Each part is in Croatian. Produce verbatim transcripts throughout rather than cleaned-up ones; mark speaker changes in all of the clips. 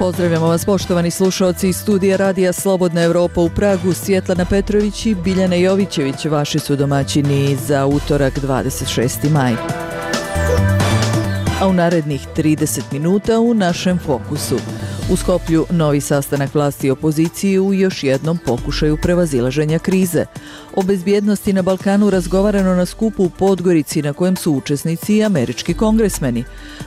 Speaker 1: Pozdravljamo vas poštovani slušalci iz studija Radija Slobodna Evropa u Pragu. Svjetlana Petrović i Biljana Jovićević vaši su domaćini za utorak dvadeset šesti maj. A u narednih trideset minuta u našem fokusu. U Skoplju novi sastanak vlasti i opozicije u još jednom pokušaju prevazilaženja krize. O bezbjednosti na Balkanu razgovarano na skupu u Podgorici na kojem su učesnici i američki kongresmeni.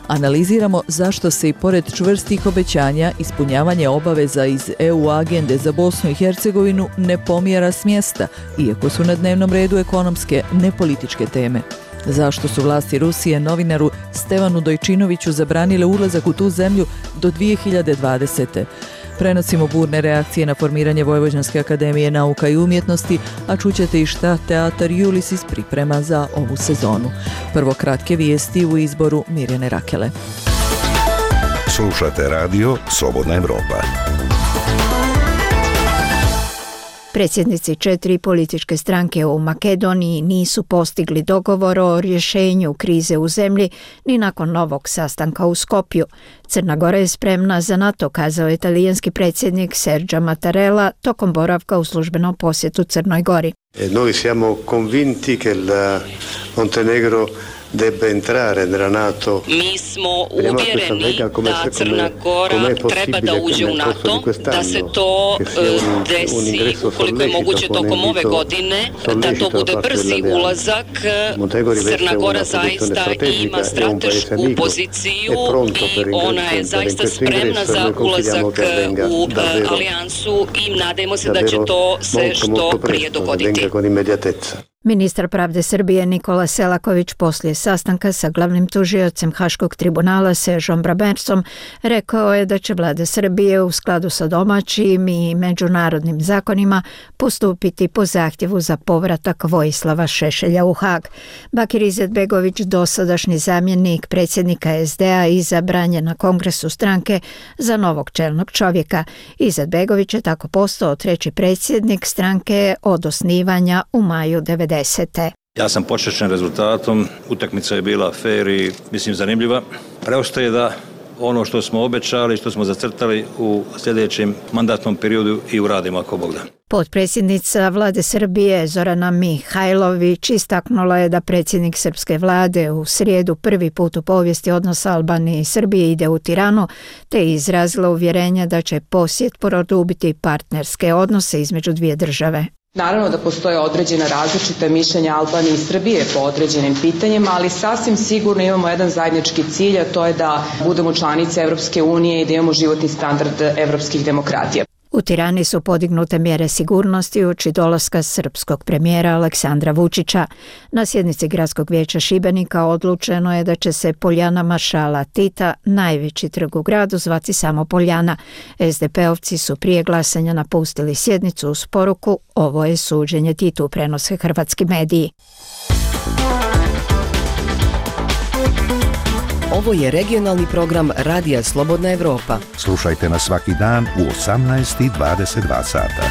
Speaker 1: Analiziramo zašto se i pored čvrstih obećanja ispunjavanje obaveza iz E U agende za Bosnu i Hercegovinu ne pomjera s mjesta, iako su na dnevnom redu ekonomske, ne političke teme. Zašto su vlasti Rusije novinaru Stevanu Dojčinoviću zabranile ulazak u tu zemlju do dvije hiljade dvadesete. Prenosimo burne reakcije na formiranje Vojvođanske akademije nauka i umjetnosti, a čućete i šta teatar Julisis priprema za ovu sezonu. Prvo kratke vijesti u izboru Mirjane Rakele.
Speaker 2: Slušate radio Slobodna Evropa.
Speaker 3: Predsjednici četiri političke stranke u Makedoniji nisu postigli dogovor o rješenju krize u zemlji ni nakon novog sastanka u Skopju. Crna Gora je spremna za NATO, kazao je talijanski predsjednik Sergio Mattarella tokom boravka u službenom posjetu Crnoj Gori.
Speaker 4: E noi siamo convinti che il Montenegro debba entrare nella NATO.
Speaker 5: Mi smo uvjereni da Crna Gora treba da uđe u NATO, da se to desi ukoliko je moguće tokom ove godine, da to bude brzi ulazak. Crna Gora zaista ima stratešku poziciju i ona je zaista spremna za ulazak u alijansu i nadajmo se da će to se što prije dogoditi.
Speaker 3: Ministar pravde Srbije Nikola Selaković poslije sastanka sa glavnim tužiocem Haškog tribunala Sežom Bramercom rekao je da će vlada Srbije u skladu sa domaćim i međunarodnim zakonima postupiti po zahtjevu za povratak Vojislava Šešelja u Hag. Bakir Izetbegović, dosadašnji zamjenik predsjednika S D A, izabran je na kongresu stranke za novog čelnog čovjeka. Izetbegović je tako postao treći predsjednik stranke od osnivanja u maju devedesete.
Speaker 6: Ja sam počašćen rezultatom, utakmica je bila fair i mislim zanimljiva. Preostaje da ono što smo obećali, što smo zacrtali u sljedećem mandatnom periodu i uradimo ako Bog da.
Speaker 3: Potpredsjednica vlade Srbije Zorana Mihajlović istaknula je da predsjednik srpske vlade u srijedu prvi put u povijesti odnosa Albanije i Srbije ide u Tiranu, te izrazila uvjerenje da će posjet produbiti partnerske odnose između dvije države.
Speaker 7: Naravno da postoje određena različita mišljenja Albanije i Srbije po određenim pitanjima, ali sasvim sigurno imamo jedan zajednički cilj, a to je da budemo članice Evropske unije i da imamo životni standard evropskih demokratija.
Speaker 3: U Tirani su podignute mjere sigurnosti uoči dolaska srpskog premijera Aleksandra Vučića. Na sjednici Gradskog vijeća Šibenika odlučeno je da će se Poljana Maršala Tita, najveći trg u gradu, zvati samo Poljana. S D P-ovci su prije glasanja napustili sjednicu uz poruku "Ovo je suđenje Titu", prenose hrvatski mediji.
Speaker 8: Ovo je regionalni program Radija Slobodna Evropa.
Speaker 2: Slušajte nas svaki dan u osamnaest i dvadeset dva sata.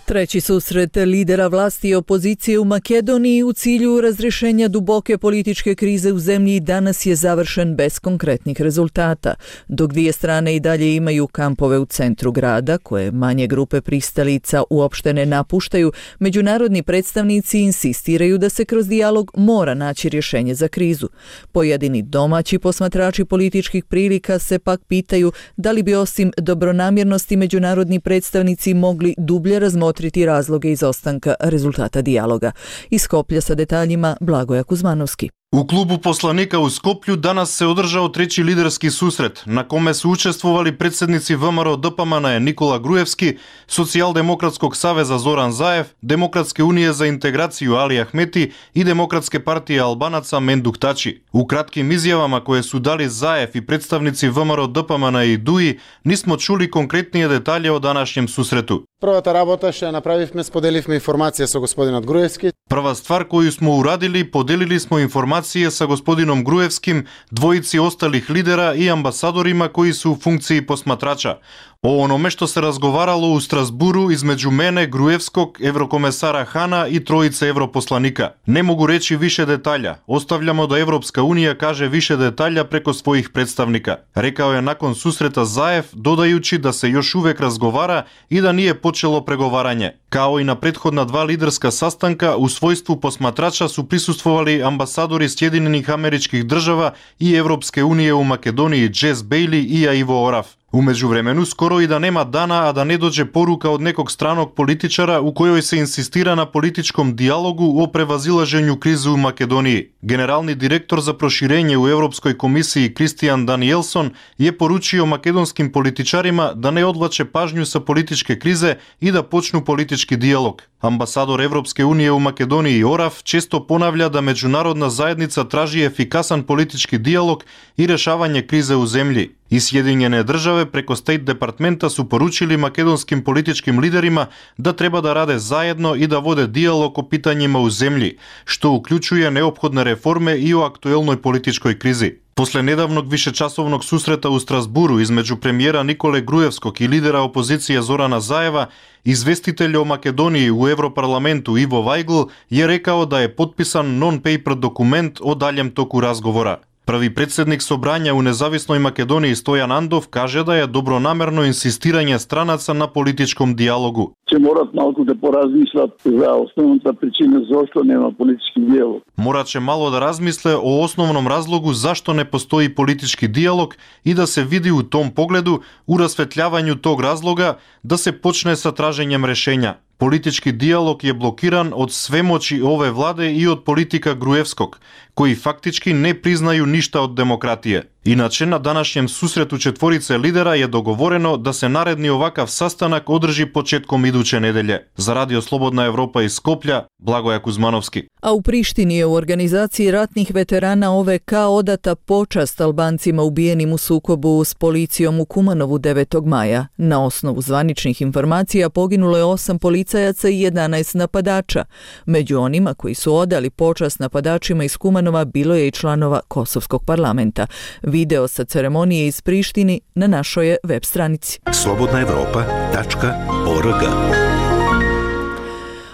Speaker 1: Treći susret lidera vlasti i opozicije u Makedoniji u cilju razrješenja duboke političke krize u zemlji danas je završen bez konkretnih rezultata. Dok dvije strane i dalje imaju kampove u centru grada, koje manje grupe pristalica uopšte ne napuštaju, međunarodni predstavnici insistiraju da se kroz dijalog mora naći rješenje za krizu. Pojedini domaći posmatrači političkih prilika se pak pitaju da li bi osim dobronamjernosti međunarodni predstavnici mogli dublje razmotriti razloge izostanka rezultata dijaloga. Iz Skoplja sa detaljima Blagoja Kuzmanovski.
Speaker 9: U klubu poslanika u Skoplju danas se održao treći liderski susret, na kome su učestvovali predsjednici V M R O D P M N-a Nikola Grujevski, Socijaldemokratskog saveza Zoran Zaev, Demokratske unije za integraciju Ali Ahmeti i Demokratske partije Albanaca Menduk Tači. U kratkim izjavama koje su dali Zaev i predstavnici V M R O D P M N-a i D U I nismo čuli konkretnije detalje o današnjem susretu.
Speaker 10: Prvата работа што направивме, споделивме информација со господинот Груевски.
Speaker 9: Prva stvar koju smo uradili, podelili smo informacije sa gospodinom Gruevskim, dvojici ostalih lidera i ambasadorima koji su u funkciji posmatrača. О ономе што се разговарало у Страсбуру измеѓу мене, Груевскog, еврокомесара Хана и троица европосланика. Не могу речи више детаља. Остављамо да Европска унија каже више детаља преко својих представника. Рекао е након сусрета Заев, додајучи да се још увек разговара и да nije почело преговарање. Као и на претходна два лидерска састанка, у својство посматрача су присуствували амбасадори Сјединених Америчких држава и Европске унија у Македонија Джес Бејли и Иво Орав. Умеѓу времену, скоро и да нема дана, а да не доđe порука од неког страног политичара у којој се инсистира на политичком диалогу о превазилажењу кризи у Македонија. Генерални директор за проширење у Европској комисија Кристијан Даниелсон е поручио македонским политичарима да не одвлаче пажњу со политичке кризе и да почну политички диалог. Амбасадор Европске унија у Македонија Орав често понавља да меѓународна заедница тражи ефикасен политички диалог и решавање кризе у земји. И Сјединjene државе преко Стейт департмента су поручили македонским политичким лидерима да треба да раде заедно и да воде диалог о питањима у земји, што уклучује неопходни реформи и о актуелној политичкој кризи. После недавног вишечасовног сусрета у Страсбуру измеѓу премиера Николе Груевскog и лидера опозиција Зорана Заева, известител о Македонија у Европарламенту Иво Вајгл е рекао да е подписан нон-пейпер документ о далjem току разговора. Први председник собрања у независној Македонија Стојан Андов каже да е добронамерно инсистирање странаца на политичком диалогу.
Speaker 11: Че морат малку да поразмислат за основната причина зашто нема политички диалог.
Speaker 9: Мораче мало да размисле о основном разлогу зашто не постои политички диалог и да се види у том погледу, у расветљавању тог разлога, да се почне со тражењем решења. Политички диалог е блокиран од свемочи ове владе и од политика Груевскog, кои фактички не признају ништа од демократија. Иначе на данашњем сусрету четворице лидера е договорено да се наредни овакав састанак одржи почетком идуче неделје. За Радио Слободна Европа из Скопља, Благоја Кузмановски.
Speaker 1: A u Prištini je u organizaciji ratnih veterana O V K odata počast Albancima ubijenim u sukobu s policijom u Kumanovu devetog maja. Na osnovu zvaničnih informacija poginulo je osam policajaca i jedanaest napadača. Među onima koji su odali počast napadačima iz Kumanova bilo je i članova Kosovskog parlamenta. Video sa ceremonije iz Prištini na našoj je web stranici.
Speaker 2: slobodna evropa tačka org.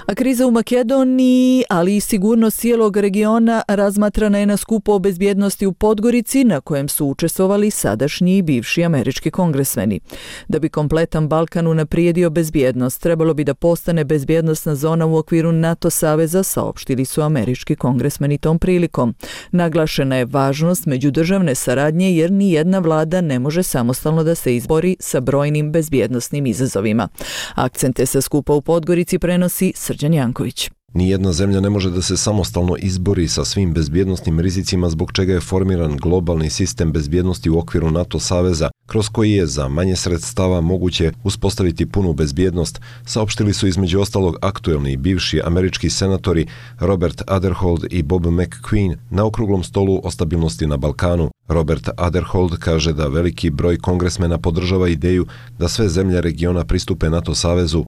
Speaker 1: A kriza u Makedoniji, ali i sigurnost cijelog regiona razmatrana je na skupu o bezbjednosti u Podgorici, na kojem su učestvovali sadašnji i bivši američki kongresmeni. Da bi kompletan Balkan unaprijedio bezbjednost, trebalo bi da postane bezbjednostna zona u okviru NATO saveza, saopštili su američki kongresmeni tom prilikom. Naglašena je važnost međudržavne saradnje jer ni jedna vlada ne može samostalno da se izbori sa brojnim bezbjednostnim izazovima. Akcente sa skupa u Podgorici prenosi Srđan Janković.
Speaker 12: Nijedna zemlja ne može da se samostalno izbori sa svim bezbjednostnim rizicima zbog čega je formiran globalni sistem bezbjednosti u okviru NATO saveza, kroz koji je za manje sredstava moguće uspostaviti punu bezbjednost, saopštili su između ostalog aktuelni i bivši američki senatori Robert Aderhold i Bob McQueen na okruglom stolu o stabilnosti na Balkanu. Robert Aderhold kaže da veliki broj kongresmena podržava ideju da sve zemlje regiona pristupe NATO savezu.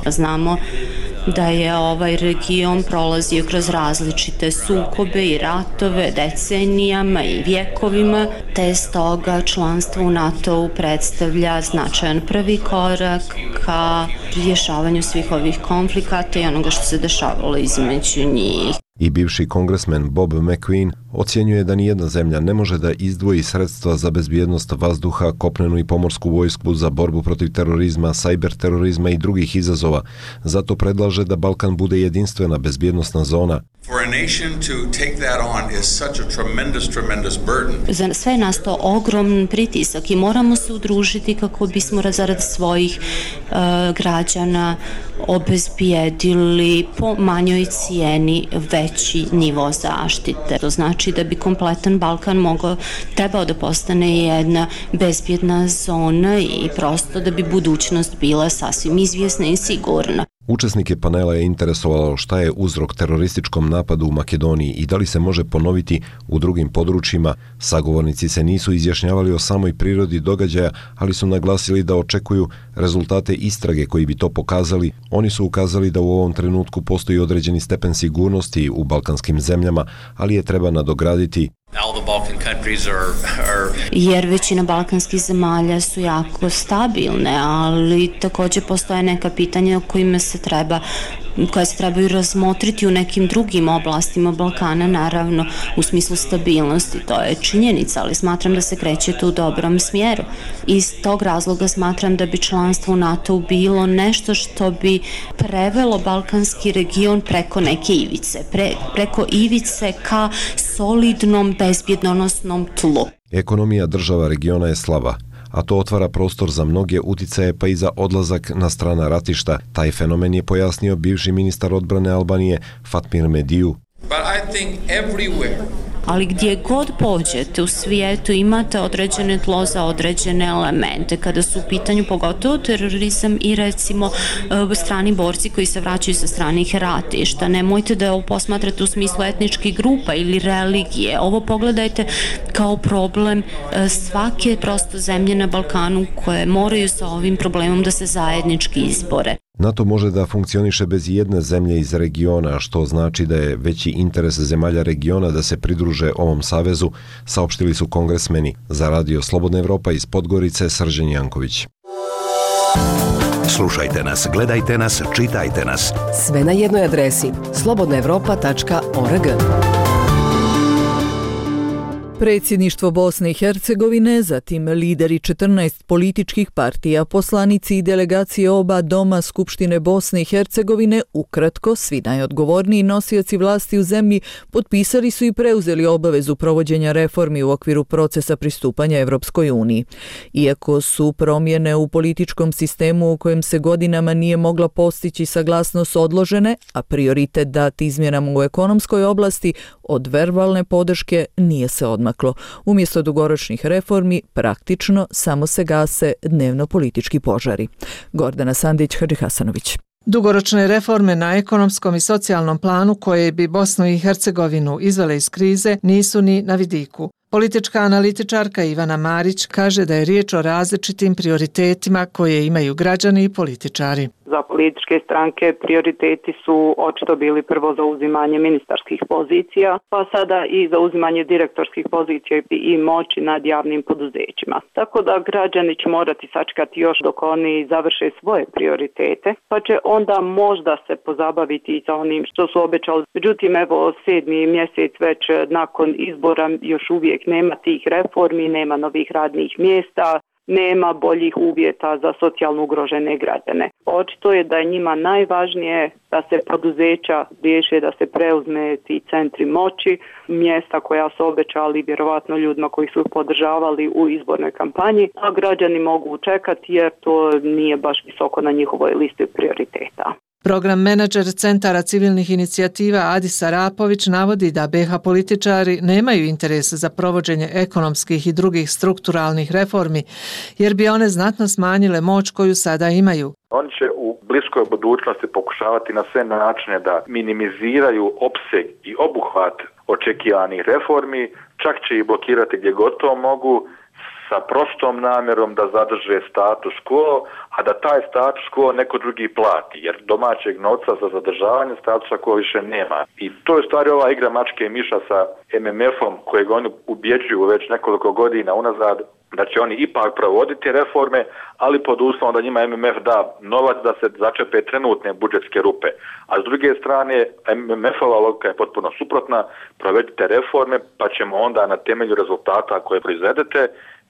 Speaker 13: Znamo da je ovaj region prolazio kroz različite sukobe i ratove decenijama i vjekovima, te stoga članstvo u NATO-u predstavlja značajan prvi korak ka rješavanju svih ovih konflikata i onoga što se dešavalo između njih.
Speaker 12: I bivši kongresmen Bob McQueen ocjenjuje da nijedna zemlja ne može da izdvoji sredstva za bezbjednost vazduha, kopnenu i pomorsku vojsku za borbu protiv terorizma, sajber terorizma i drugih izazova. Zato predlaže da Balkan bude jedinstvena bezbjednostna zona.
Speaker 13: Za sve nas to ogroman pritisak i moramo se udružiti kako bismo zarad svojih uh, građana obezbijedili po manjoj cijeni veći nivo zaštite. To znači da bi kompletan Balkan mogao, trebao da postane jedna bezbjedna zona i prosto da bi budućnost bila sasvim izvjesna i sigurna.
Speaker 12: Učesnike panela je interesovalo šta je uzrok terorističkom napadu u Makedoniji i da li se može ponoviti u drugim područjima. Sagovornici se nisu izjašnjavali o samoj prirodi događaja, ali su naglasili da očekuju rezultate istrage koji bi to pokazali. Oni su ukazali da u ovom trenutku postoji određeni stepen sigurnosti u balkanskim zemljama, ali je treba nadograditi.
Speaker 13: jer većina balkanskih zemalja su jako stabilne, ali također postoje neka pitanja o kojima se treba koje se trebaju razmotriti u nekim drugim oblastima Balkana, naravno u smislu stabilnosti, to je činjenica, ali smatram da se kreće tu u dobrom smjeru. Iz tog razloga smatram da bi članstvo u NATO bilo nešto što bi prevelo balkanski region preko neke ivice, pre, preko ivice ka solidnom bezbjednosnom tlu.
Speaker 12: Ekonomija država regiona je slaba, a to otvara prostor za mnoge uticaje pa i za odlazak na strana ratišta. Taj fenomen je pojasnio bivši ministar odbrane Albanije Fatmir Mediju.
Speaker 13: Ali gdje god pođete u svijetu imate određene tlo za određene elemente. Kada su u pitanju pogotovo terorizam i recimo strani borci koji se vraćaju sa stranih ratišta. Nemojte da ovo posmatrate u smislu etničkih grupa ili religije. Ovo pogledajte kao problem svake prosto zemlje na Balkanu koje moraju sa ovim problemom da se zajednički izbore.
Speaker 12: NATO može da funkcioniše bez jedne zemlje iz regiona, što znači da je veći interes zemalja regiona da se pridruže ovom savezu, saopštili su kongresmeni. Za Radio Slobodna Evropa iz Podgorice, Srđan Janković.
Speaker 2: Slušajte nas, gledajte nas, čitajte nas.
Speaker 8: Sve na jednoj adresi slobodna evropa tačka org.
Speaker 1: Predsjedništvo Bosne i Hercegovine, zatim lideri četrnaest političkih partija, poslanici i delegacije oba doma Skupštine Bosne i Hercegovine, ukratko svi najodgovorniji nosioci vlasti u zemlji, potpisali su i preuzeli obavezu provođenja reformi u okviru procesa pristupanja Evropskoj uniji. Iako su promjene u političkom sistemu u kojem se godinama nije mogla postići saglasnost odložene, a prioritet dat izmjenama u ekonomskoj oblasti, od verbalne podrške nije se odmaklo. Umjesto dugoročnih reformi, praktično samo se gase dnevno politički požari. Gordana Sandić, Hadži Hasanović.
Speaker 14: Dugoročne reforme na ekonomskom i socijalnom planu koje bi Bosnu i Hercegovinu izvele iz krize nisu ni na vidiku. Politička analitičarka Ivana Marić kaže da je riječ o različitim prioritetima koje imaju građani i političari.
Speaker 15: Za političke stranke prioriteti su očito bili prvo zauzimanje ministarskih pozicija, pa sada i zauzimanje direktorskih pozicija i moći nad javnim poduzećima. Tako da građani će morati sačekati još dok oni završe svoje prioritete, pa će onda možda se pozabaviti i sa onim što su obećali. Međutim, evo sedmi mjesec već nakon izbora još uvijek nema tih reformi, nema novih radnih mjesta, nema boljih uvjeta za socijalno ugrožene građane. Očito je da je njima najvažnije da se poduzeća riješe, da se preuzme ti centri moći, mjesta koja su obećali vjerovatno ljudima koji su podržavali u izbornoj kampanji, a građani mogu čekati jer to nije baš visoko na njihovoj listi prioriteta.
Speaker 14: Program menadžer Centara civilnih inicijativa Adis Arapović navodi da be ha političari nemaju interes za provođenje ekonomskih i drugih strukturalnih reformi, jer bi one znatno smanjile moć koju sada imaju.
Speaker 16: Oni će u bliskoj budućnosti pokušavati na sve načine da minimiziraju opseg i obuhvat očekivanih reformi, čak će ih blokirati gdje god to mogu, sa prostom namjerom da zadrže status quo, a da taj status quo neko drugi plati, jer domaćeg novca za zadržavanje statusa quo više nema. I to je stvari ova igra mačke i miša sa em em efom kojeg oni ubjeđuju već nekoliko godina unazad da će oni ipak provoditi reforme, ali pod uslovom da njima em em ef da novac da se začepe trenutne budžetske rupe. A s druge strane, em em efova logika je potpuno suprotna, provedite reforme pa ćemo onda na temelju rezultata koje proizvedete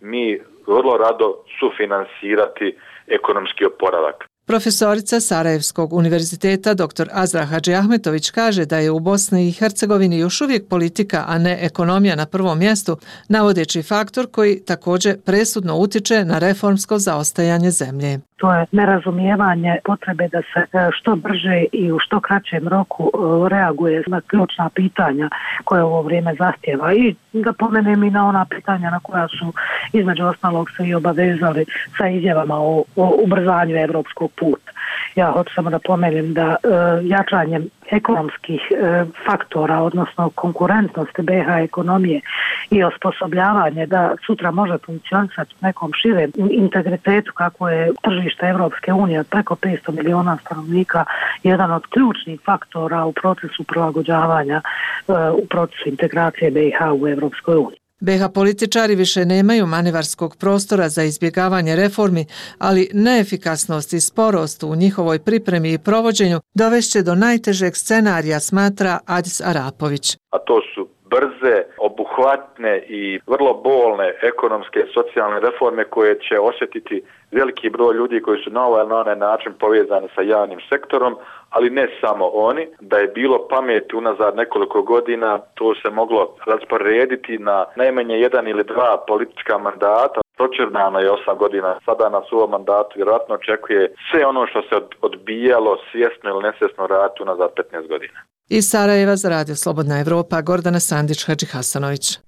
Speaker 16: mi vrlo rado sufinansirati ekonomski oporavak.
Speaker 14: Profesorica Sarajevskog univerziteta dr Azra Hadžiahmetović kaže da je u Bosni i Hercegovini još uvijek politika, a ne ekonomija na prvom mjestu, navodeći faktor koji također presudno utiče na reformsko zaostajanje zemlje.
Speaker 17: To je nerazumijevanje potrebe da se što brže i u što kraćem roku reaguje na ključna pitanja koje ovo vrijeme zahtjeva. I da pomenem i na ona pitanja na koja su između ostalog se i obavezali sa izjavama o, o ubrzanju evropskog puta. Ja hoću samo da pomenem da e, jačanjem ekonomskih e, faktora, odnosno konkurentnosti be ha ekonomije i osposobljavanje da sutra može funkcionisati u nekom širem integritetu kako je tržište Evropske unije od preko petsto miliona stanovnika, jedan od ključnih faktora u procesu prilagođavanja, e, u procesu integracije be ha u Evropskoj uniji.
Speaker 14: be ha političari više nemaju manevarskog prostora za izbjegavanje reformi, ali neefikasnost i sporost u njihovoj pripremi i provođenju dovešće do najtežeg scenarija, smatra Adis Arapović.
Speaker 16: A to su brze, obuhvatne i vrlo bolne ekonomske i socijalne reforme koje će osjetiti veliki broj ljudi koji su na ovaj ili na onaj način povezani sa javnim sektorom, ali ne samo oni. Da je bilo pameti unazad nekoliko godina, to se moglo rasporediti na najmanje jedan ili dva politička mandata. Pročernano je osam godina, sada nas u ovom mandatu vjerojatno očekuje sve ono što se odbijalo svjesno ili nesvjesno raditi unazad petnaest godina.
Speaker 14: Iz Sarajeva za Radio Slobodna Evropa, Gordana Sandić-Hadžihasanović.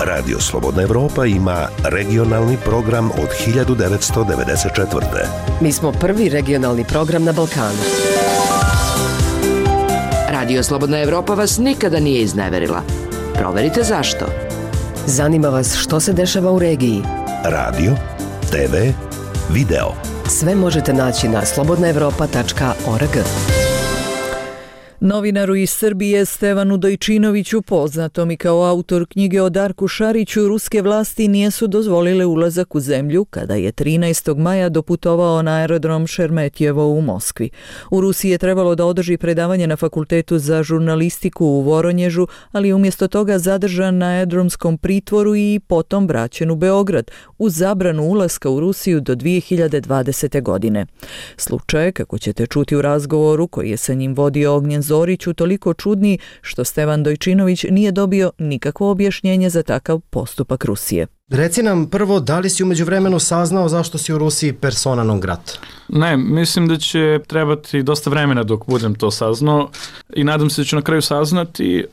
Speaker 2: Radio Slobodna Evropa ima regionalni program od hiljadu devetsto devedeset četvrte.
Speaker 8: Mi smo prvi regionalni program na Balkanu. Radio Slobodna Evropa vas nikada nije izneverila. Proverite zašto. Zanima vas što se dešava u regiji.
Speaker 2: Radio, te ve, video.
Speaker 8: Sve možete naći na slobodna evropa tačka org.
Speaker 1: Novinaru iz Srbije Stevanu Dojčinoviću, poznatom i kao autor knjige o Darku Šariću, ruske vlasti nisu dozvolile ulazak u zemlju kada je trinaestog maja doputovao na aerodrom Šeremetjevo u Moskvi. U Rusiji je trebalo da održi predavanje na Fakultetu za žurnalistiku u Voronježu, ali je umjesto toga zadržan na aerodromskom pritvoru i potom vraćen u Beograd uz zabranu ulaska u Rusiju do dvije hiljade dvadesete. godine. Slučaj, kako ćete čuti u razgovoru koji je sa njim vodio Ognjen Zorić, toliko čudni što Stevan Dojčinović nije dobio nikakvo objašnjenje za takav postupak Rusije.
Speaker 18: Reci nam prvo, da li si umeđu vremenu saznao zašto si u Rusiji persona non grata?
Speaker 19: Ne, mislim da će trebati dosta vremena dok budem to saznao i nadam se da ću na kraju saznati.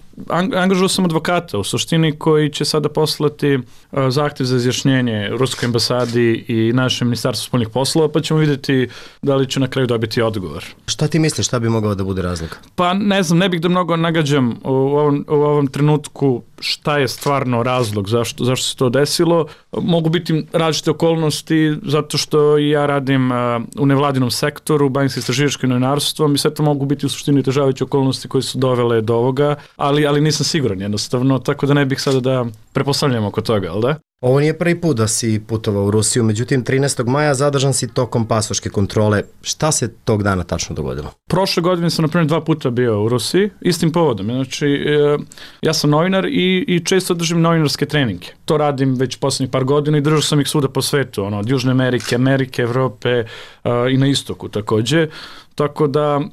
Speaker 19: Angažuo sam advokata u suštini koji će sada poslati zahtjev za izjašnjenje Ruskoj ambasadi i našem ministarstvu spoljnih poslova, pa ćemo vidjeti da li ću na kraju dobiti odgovor.
Speaker 18: Šta ti misliš, šta bi mogao da bude razlog?
Speaker 19: Pa ne znam, ne bih da mnogo nagađam u ovom, u ovom trenutku šta je stvarno razlog, zašto, zašto se to desilo. Mogu biti različite okolnosti zato što ja radim u nevladinom sektoru, bavim se istraživačkim novinarstvom i sve to mogu biti u suštini težavajuće okolnosti koje su dovele do ovoga, ali, ali nisam siguran jednostavno, tako da ne bih sada da prepostavljam oko toga, ali da?
Speaker 18: Ovo nije prvi put da si putovao u Rusiju, međutim trinaestog maja zadržan si tokom pasoške kontrole. Šta se tog dana tačno dogodilo?
Speaker 19: Prošle godine sam na primjer dva puta bio u Rusiji, istim povodom. Znači, ja sam novinar i, i često držim novinarske treninge. To radim već posljednjih par godina i držao sam ih svuda po svetu, ono, od Južne Amerike, Amerike, Evrope uh, i na istoku također. Tako da uh,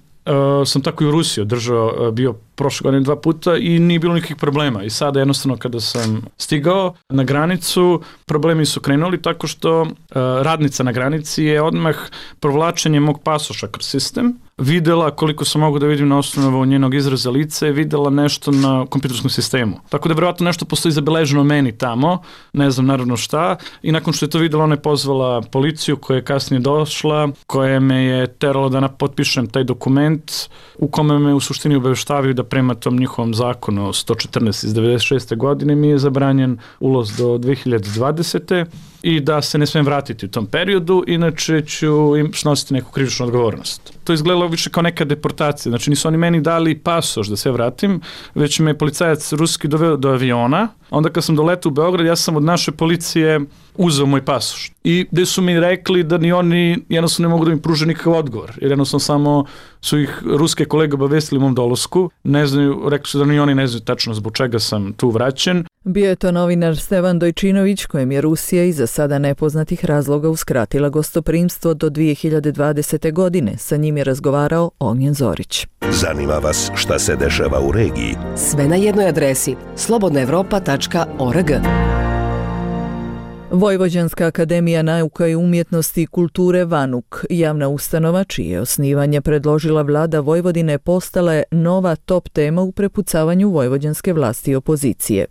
Speaker 19: sam tako i u Rusiji držao, uh, bio prošle godine dva puta i nije bilo nikakvih problema. I sada jednostavno kada sam stigao na granicu, problemi su krenuli tako što uh, radnica na granici je odmah provlačenje mog pasoša kroz sistem videla, koliko sam mogu da vidim na osnovu njenog izraza lice, je videla nešto na kompjuterskom sistemu. Tako da vjerojatno nešto postoji zabeleženo meni tamo, ne znam naravno šta, i nakon što je to videla, ona je pozvala policiju koja je kasnije došla, koja me je terala da potpišem taj dokument u kome me u suštini obaveštavaju da prema tom njihovom zakonu sto četrnaest iz devedeset šeste. godine mi je zabranjen ulaz do dvije hiljade dvadesete. i da se ne smijem vratiti u tom periodu, inače ću im snositi neku krivičnu odgovornost. To izgledalo više kao neka deportacija, znači nisu oni meni dali pasoš da se vratim, već me policajac ruski doveo do aviona, onda kad sam doletao u Beograd, ja sam od naše policije uzeo moj pasoš. I gde su mi rekli da ni oni jednostavno ne mogu da mi pruže nikakav odgovor, jer jednostavno samo su ih ruske kolege obavestili u mom dolasku, ne znaju, rekli su da ni oni ne znaju tačno zbog čega sam tu vraćen.
Speaker 1: Bio je to novinar Stevan Dojčinović, kojem je Rusija iz za sada nepoznatih razloga uskratila gostoprimstvo do dvije hiljade dvadesete. godine. Sa njim je razgovarao Ognjen Zorić.
Speaker 2: Zanima vas šta se dešava u regiji?
Speaker 8: Sve na jednoj adresi slobodna evropa tačka org.
Speaker 1: Vojvođanska akademija nauka i umjetnosti i kulture VANUK, javna ustanova čije osnivanje predložila vlada Vojvodine, postala je nova top tema u prepucavanju vojvođanske vlasti i opozicije.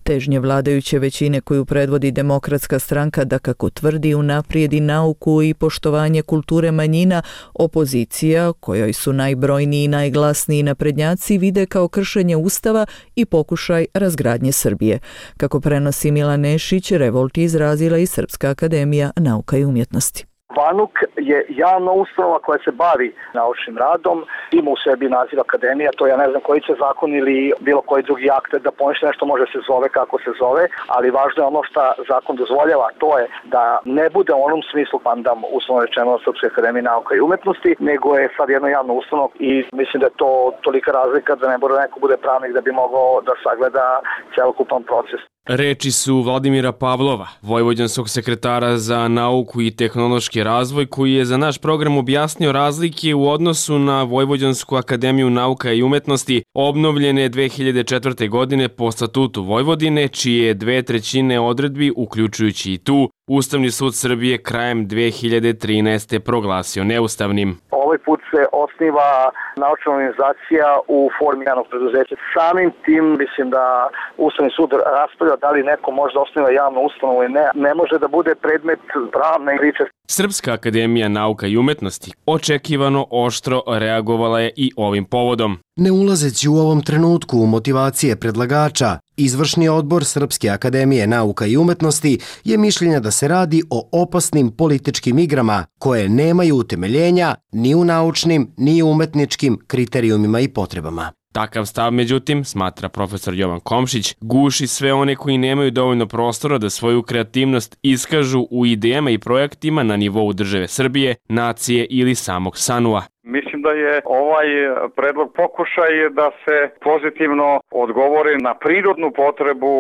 Speaker 1: Težnje vladajuće većine koju predvodi Demokratska stranka da, kako tvrdi, unaprijedi nauku i poštovanje kulture manjina, opozicija, kojoj su najbrojniji i najglasniji naprednjaci, vide kao kršenje ustava i pokušaj razgradnje Srbije. Kako prenosi Milan Nešić, revolt je izrazila i Srpska akademija nauka i umjetnosti.
Speaker 20: VANUK je javna ustanova koja se bavi naučnim radom, ima u sebi naziv akademija, to ja ne znam koji će zakon ili bilo koji drugi akt da poništi nešto može se zove kako se zove, ali važno je ono što zakon dozvoljava, to je da ne bude u onom smislu pandam uslovno rečeno Srpske akademije nauka i umetnosti, nego je sad jedna javna ustanova i mislim da je to tolika razlika da ne mora neko bude pravnik da bi mogao da sagleda celokupan proces.
Speaker 21: Reči su Vladimira Pavlova, vojvođanskog sekretara za nauku i tehnološki razvoj, koji je za naš program objasnio razlike u odnosu na Vojvođansku akademiju nauka i umetnosti, obnovljene dve hiljade četvrte. godine po statutu Vojvodine, čije dve trećine odredbi, uključujući i tu, Ustavni sud Srbije krajem dve hiljade trinaeste. proglasio neustavnim.
Speaker 20: Ovaj put se osniva naučna organizacija u formi javnog preduzeća. Samim tim mislim da Ustavni sud raspravlja da li neko može da osniva javnu ustanovu ili ne. Ne može da bude predmet pravne priče.
Speaker 21: Srpska akademija nauka i umetnosti očekivano oštro reagovala je i ovim povodom.
Speaker 18: Ne ulazeći u ovom trenutku u motivacije predlagača, Izvršni odbor Srpske akademije nauka i umetnosti je mišljenja da se radi o opasnim političkim igrama koje nemaju utemeljenja ni u naučnim ni u umetničkim kriterijumima i potrebama.
Speaker 21: Takav stav, međutim, smatra profesor Jovan Komšić, guši sve one koji nemaju dovoljno prostora da svoju kreativnost iskažu u idejama i projektima na nivou države Srbije, nacije ili samog Sanua.
Speaker 22: Mislim da je ovaj predlog pokušaj da se pozitivno odgovori na prirodnu potrebu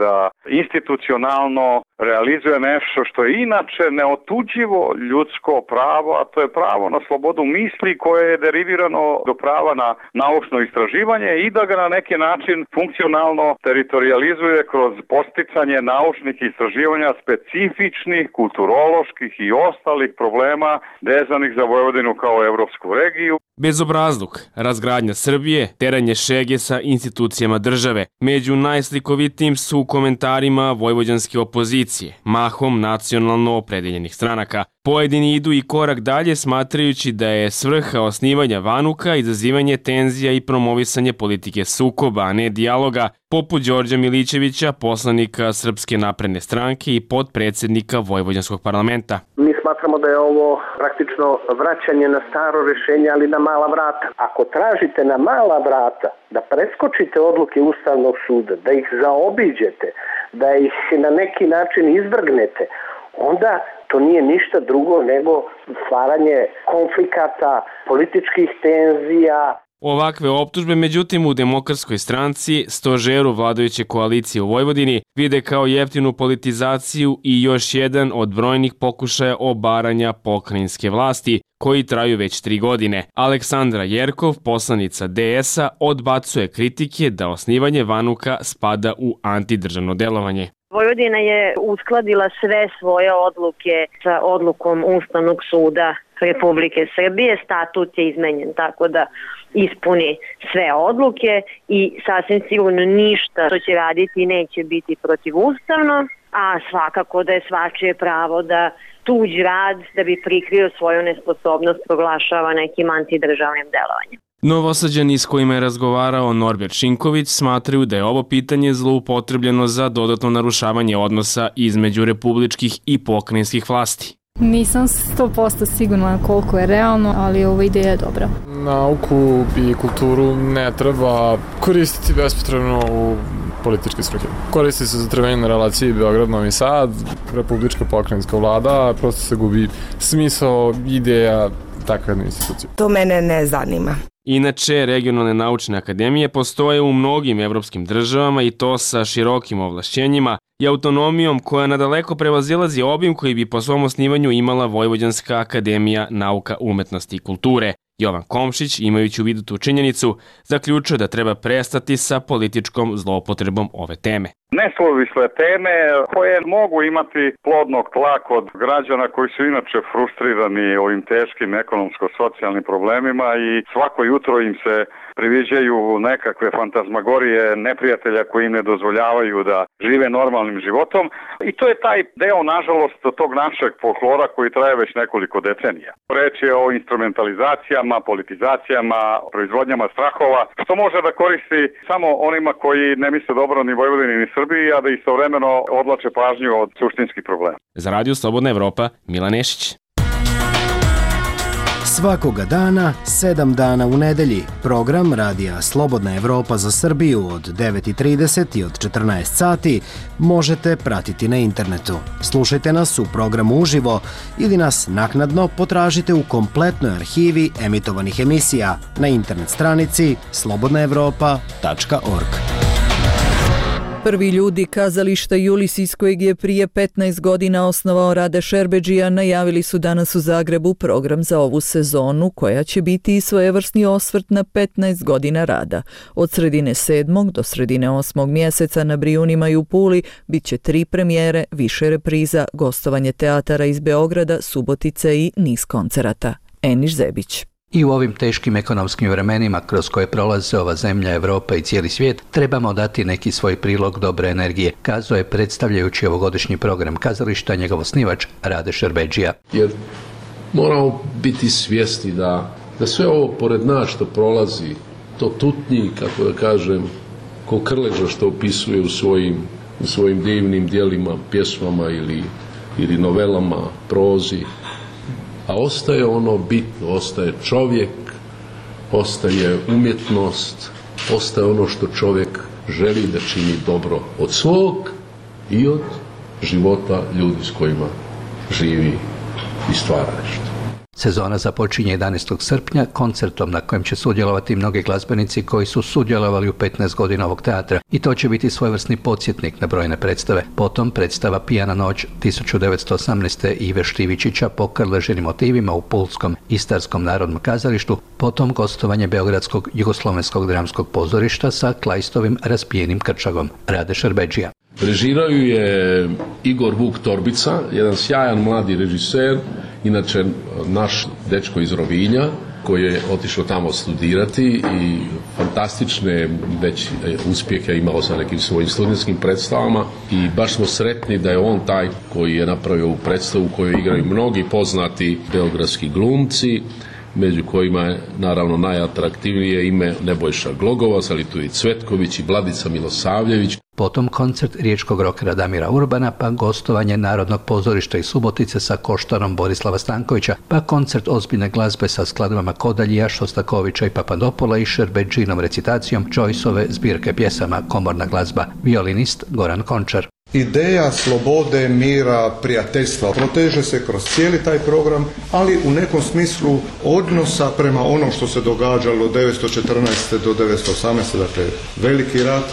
Speaker 22: da institucionalno realizuje nešto što je inače neotuđivo ljudsko pravo, a to je pravo na slobodu misli koje je derivirano do prava na naučno istraživanje i da ga na neki način funkcionalno teritorializuje kroz posticanje naučnih istraživanja specifičnih, kulturoloških i ostalih problema vezanih za Vojvodinu kao evropsku regiju.
Speaker 21: Bezobrazluk, razgradnja Srbije, teranje šege sa institucijama države. Među najslikovitijim su komentarima vojvođanske opozicije, mahom nacionalno opredeljenih stranaka. Pojedini idu i korak dalje smatrajući da je svrha osnivanja VANUK-a izazivanje tenzija i promovisanje politike sukoba, a ne dijaloga, poput Đorđa Milićevića, poslanika Srpske napredne stranke i potpredsednika Vojvođanskog parlamenta.
Speaker 23: Mi smatramo da je ovo praktično vraćanje na staro rešenje, ali na mala vrata. Ako tražite na mala vrata da preskočite odluke Ustavnog suda, da ih zaobiđete, da ih na neki način izvrgnete, onda to nije ništa drugo nego stvaranje konflikata, političkih tenzija.
Speaker 21: Ovakve optužbe, međutim, u Demokratskoj stranci, stožeru vladajuće koalicije u Vojvodini, vide kao jeftinu politizaciju i još jedan od brojnih pokušaja obaranja pokrajinske vlasti, koji traju već tri godine. Aleksandra Jerkov, poslanica D S-a, odbacuje kritike da osnivanje VANUK-a spada u antidržavno delovanje.
Speaker 24: Vojvodina je uskladila sve svoje odluke sa odlukom Ustavnog suda Republike Srbije. Statut je izmenjen tako da ispuni sve odluke i sasvim sigurno ništa što će raditi neće biti protivustavno, a svakako da je svačije pravo da tuđ rad da bi prikrio svoju nesposobnost proglašava nekim antidržavnim delovanjem.
Speaker 21: Novosađani s kojima je razgovarao Norbert Šinković smatraju da je ovo pitanje zloupotrebljeno za dodatno narušavanje odnosa između republičkih i pokrajinskih vlasti.
Speaker 25: Nisam sto posto sigurna koliko je realno, ali ova ideja je dobra.
Speaker 26: Nauku i kulturu ne treba koristiti bespotrebno u političke svrhe. Koristi se za trvenje na relaciji Beograd-Novi Sad, republička pokrajinska vlada, prosto se gubi smisao, ideja takve institucije.
Speaker 27: To mene ne zanima.
Speaker 21: Inače, regionalne naučne akademije postoje u mnogim evropskim državama i to sa širokim ovlašćenjima i autonomijom koja nadaleko prevazilazi obim koji bi po svom osnivanju imala Vojvođanska akademija nauka, umetnosti i kulture. Jovan Komšić, imajući u vidu tu činjenicu, zaključuje da treba prestati sa političkom zloupotrebom ove teme.
Speaker 22: Nesuvisle teme koje mogu imati plodnog tla kod građana koji su inače frustrirani ovim teškim ekonomsko-socijalnim problemima i svako jutro im se priviđaju nekakve fantazmagorije neprijatelja koji im ne dozvoljavaju da žive normalnim životom i to je taj deo, nažalost, tog našeg folklora koji traje već nekoliko decenija. Reč je o instrumentalizacijama, politizacijama, proizvodnjama strahova, što može da koristi samo onima koji ne misle dobro ni Vojvodini ni Srbiji, a da istovremeno odlače pažnju od suštinskih problema.
Speaker 21: Za Radio Slobodna Evropa, Milan Nešić.
Speaker 18: Svakoga dana, sedam dana u nedelji, program Radija Slobodna Evropa za Srbiju od devet i trideset i od četrnaest sati možete pratiti na internetu. Slušajte nas u programu uživo ili nas naknadno potražite u kompletnoj arhivi emitovanih emisija na internet stranici slobodna evropa tačka org.
Speaker 1: Prvi ljudi kazališta Julis, iz kojeg je prije petnaest godina osnovao Rade Šerbedžija, najavili su danas u Zagrebu program za ovu sezonu, koja će biti i svojevrsni osvrt na petnaest godina rada. Od sredine sedmog do sredine osmog mjeseca na Brijunima i u Puli bit će tri premijere, više repriza, gostovanje teatara iz Beograda, Subotice i niz koncerata. Eniš Zebić.
Speaker 3: I u ovim teškim ekonomskim vremenima kroz koje prolaze ova zemlja, Evropa i cijeli svijet, trebamo dati neki svoj prilog dobre energije, kazao je predstavljajući ovogodišnji program kazališta njegov osnivač Rade Šerbedžija.
Speaker 4: Jer moramo biti svjesni da, da sve ovo pored nas što prolazi, to tutnji, kako da kažem, ko Krleža što opisuje u svojim, u svojim divnim dijelima, pjesmama ili, ili novelama, prozi, a ostaje ono bitno, ostaje čovjek, ostaje umjetnost, ostaje ono što čovjek želi da čini dobro od svog i od života ljudi s kojima živi i stvara nešto.
Speaker 3: Sezona započinje jedanaestog srpnja koncertom na kojem će sudjelovati mnogi glazbenici koji su sudjelovali u petnaest godina ovog teatra i to će biti svojevrsni podsjetnik na brojne predstave. Potom predstava Pijana noć tisuću devetsto osamnaeste. Ive Štivičića po Krležinim motivima u Pulskom Istarskom narodnom kazalištu, potom gostovanje Beogradskog jugoslovenskog dramskog pozorišta sa Klajstovim Raspijenim krčagom. Rade Šerbedžija.
Speaker 4: Režirao je Igor Vuk Torbica, jedan sjajan mladi režiser, inače naš dečko iz Rovinja, koji je otišao tamo studirati i fantastične već uspjehe imao sa nekim svojim studentskim predstavama i baš smo sretni da je on taj koji je napravio ovu predstavu u kojoj igraju mnogi poznati beogradski glumci, među kojima je naravno najatraktivnije ime Nebojša Glogovac, ali tu i Cvetković i Vladica Milosavljević.
Speaker 3: Potom koncert riječkog rokera Damira Urbana, pa gostovanje Narodnog pozorišta iz Subotice sa Koštarom Borislava Stankovića, pa koncert ozbiljne glazbe sa skladbama Kodaljija, Šostakovića i Papadopola i Šerbedžinom recitacijom Joyceove zbirke pjesama Komorna glazba, violinist Goran Končar.
Speaker 5: Ideja slobode, mira, prijateljstva proteže se kroz cijeli taj program, ali u nekom smislu odnosa prema onom što se događalo od devetsto četrnaeste. do devetsto osamnaeste. Dakle veliki rat,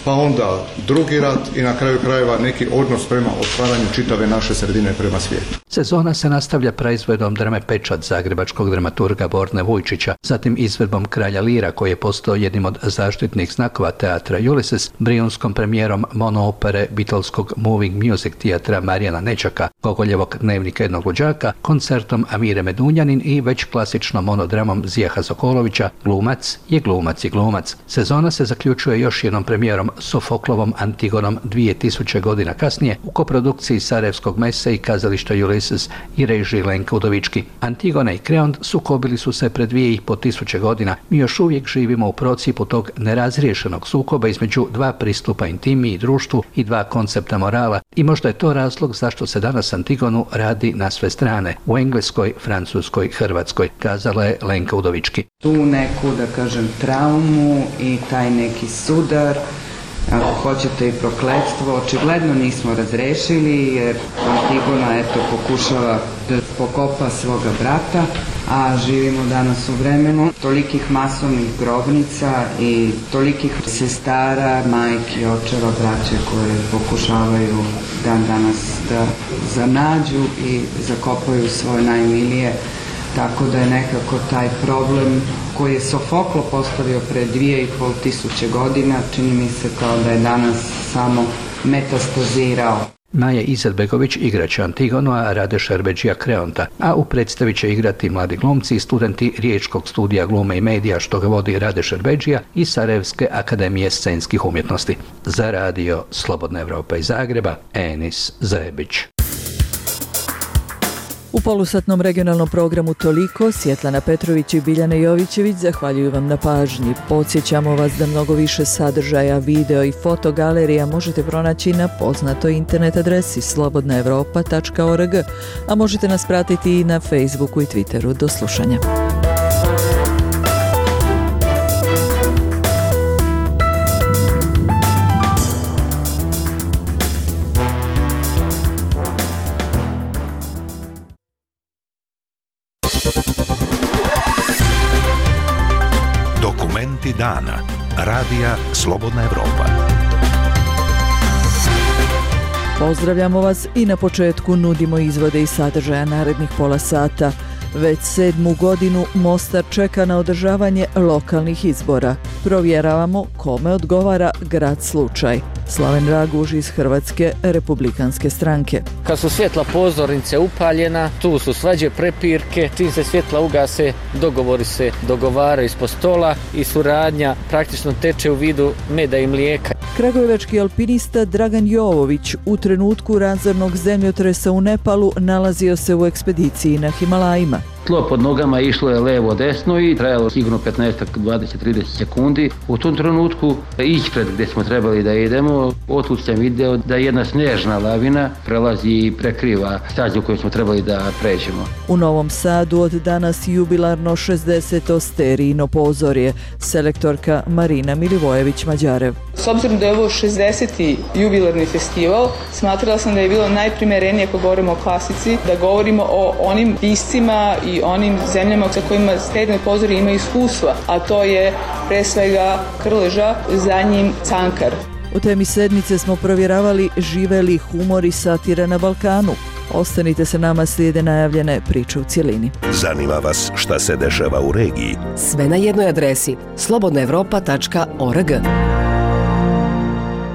Speaker 5: pa onda drugi rat i na kraju krajeva neki odnos prema otvaranju čitave naše sredine prema svijetu.
Speaker 3: Sezona se nastavlja praizvedom drame Pečat zagrebačkog dramaturga Borne Vujčića, zatim izvedbom Kralja Lira koji je postao jednim od zaštitnih znakova teatra Ulysses, brijunskom premijerom monoopere Beatleskog Moving Music teatra Marijana Nečaka, Gogoljevog Dnevnika jednog luđaka, koncertom Amire Medunjanin i već klasičnom monodramom Zijaha Sokolovića Glumac je glumac i glumac. Sezona se zaključuje još jednom premijerom Sofoklovom Antigonom dvije tisuće godina kasnije u koprodukciji Sarajevskog mesa i kazališta Ulysses i režiji Lenka Udovički. Antigona i Kreont sukobili su se pred dvije i po tisuće godina. Mi još uvijek živimo u procipu tog nerazriješenog sukoba između dva pristupa intimi i društvu i dva koncepta morala i možda je to razlog zašto se danas Antigonu radi na sve strane, u Engleskoj, Francuskoj, Hrvatskoj, kazala je Lenka Udovički.
Speaker 6: Tu neku, da kažem, traumu i taj neki sudar, ako hoćete i prokletstvo, očigledno nismo razrešili jer Antigona eto pokušava da pokopa svoga brata, a živimo danas u vremenu tolikih masovnih grobnica i tolikih sestara, majki, očeva, braće koje pokušavaju dan danas da zanađu i zakopaju svoje najmilije. Tako da je nekako taj problem koji je Sofoklo postavio pre dvije i pol tisuće godina, čini mi se kao da je danas samo metastazirao.
Speaker 3: Maja Izetbegović igraće Antigonu, a Rade Šerbedžija Kreonta, a u predstavi će igrati mladi glumci i studenti Riječkog studija glume i medija što ga vodi Rade Šerbedžija i Sarajevske akademije scenskih umjetnosti. Za radio Slobodna Evropa iz Zagreba, Enis Zebić.
Speaker 1: U polusatnom regionalnom programu toliko. Svjetlana Petrović i Biljana Jovićević zahvaljuju vam na pažnji. Podsjećamo vas da mnogo više sadržaja, video i fotogalerija možete pronaći na poznatoj internet adresi slobodna evropa tačka org, a možete nas pratiti i na Facebooku i Twitteru. Do slušanja.
Speaker 2: Dokumenti dana. Radija Slobodna Evropa.
Speaker 1: Pozdravljamo vas i na početku nudimo izvode i sadržaja narednih pola sata. Već sedmu godinu Mostar čeka na održavanje lokalnih izbora. Provjeravamo kome odgovara grad slučaj. Slaven Raguž iz Hrvatske republikanske stranke.
Speaker 7: Kad su svjetla pozornice upaljena, tu su svađe, prepirke, čim se svjetla ugase, dogovori se dogovaraju ispod stola i suradnja praktično teče u vidu meda i mlijeka.
Speaker 1: Kragujevački alpinista Dragan Jovović u trenutku razornog zemljotresa u Nepalu nalazio se u ekspediciji na Himalajima.
Speaker 9: Tlo pod nogama išlo je levo desno i trajalo sigurno petnaest, dvadeset, trideset sekundi. U tom trenutku ispred gdje smo trebali da idemo, otud sam video da jedna snježna lavina prelazi i prekriva stazu koju smo trebali da pređemo.
Speaker 1: U Novom Sadu od danas jubilarno šezdeseto sterijino pozorje. Selektorka Marina Milivojević-Mađarev.
Speaker 10: S obzirom da je ovo šezdeseti jubilarni festival, smatrala sam da je bilo najprimerenije ako govorimo o klasici, da govorimo o onim piscima i onim zemljama sa kojima sterijino pozorje ima iskustva, a to je pre svega Krleža, za njim Cankar.
Speaker 1: U temi sedmice smo provjeravali žive li humor i satira na Balkanu. Ostanite se nama, slijede najavljene priče u cjelini.
Speaker 2: Zanima vas šta se dešava u regiji?
Speaker 8: Sve na jednoj adresi slobodna evropa tačka org.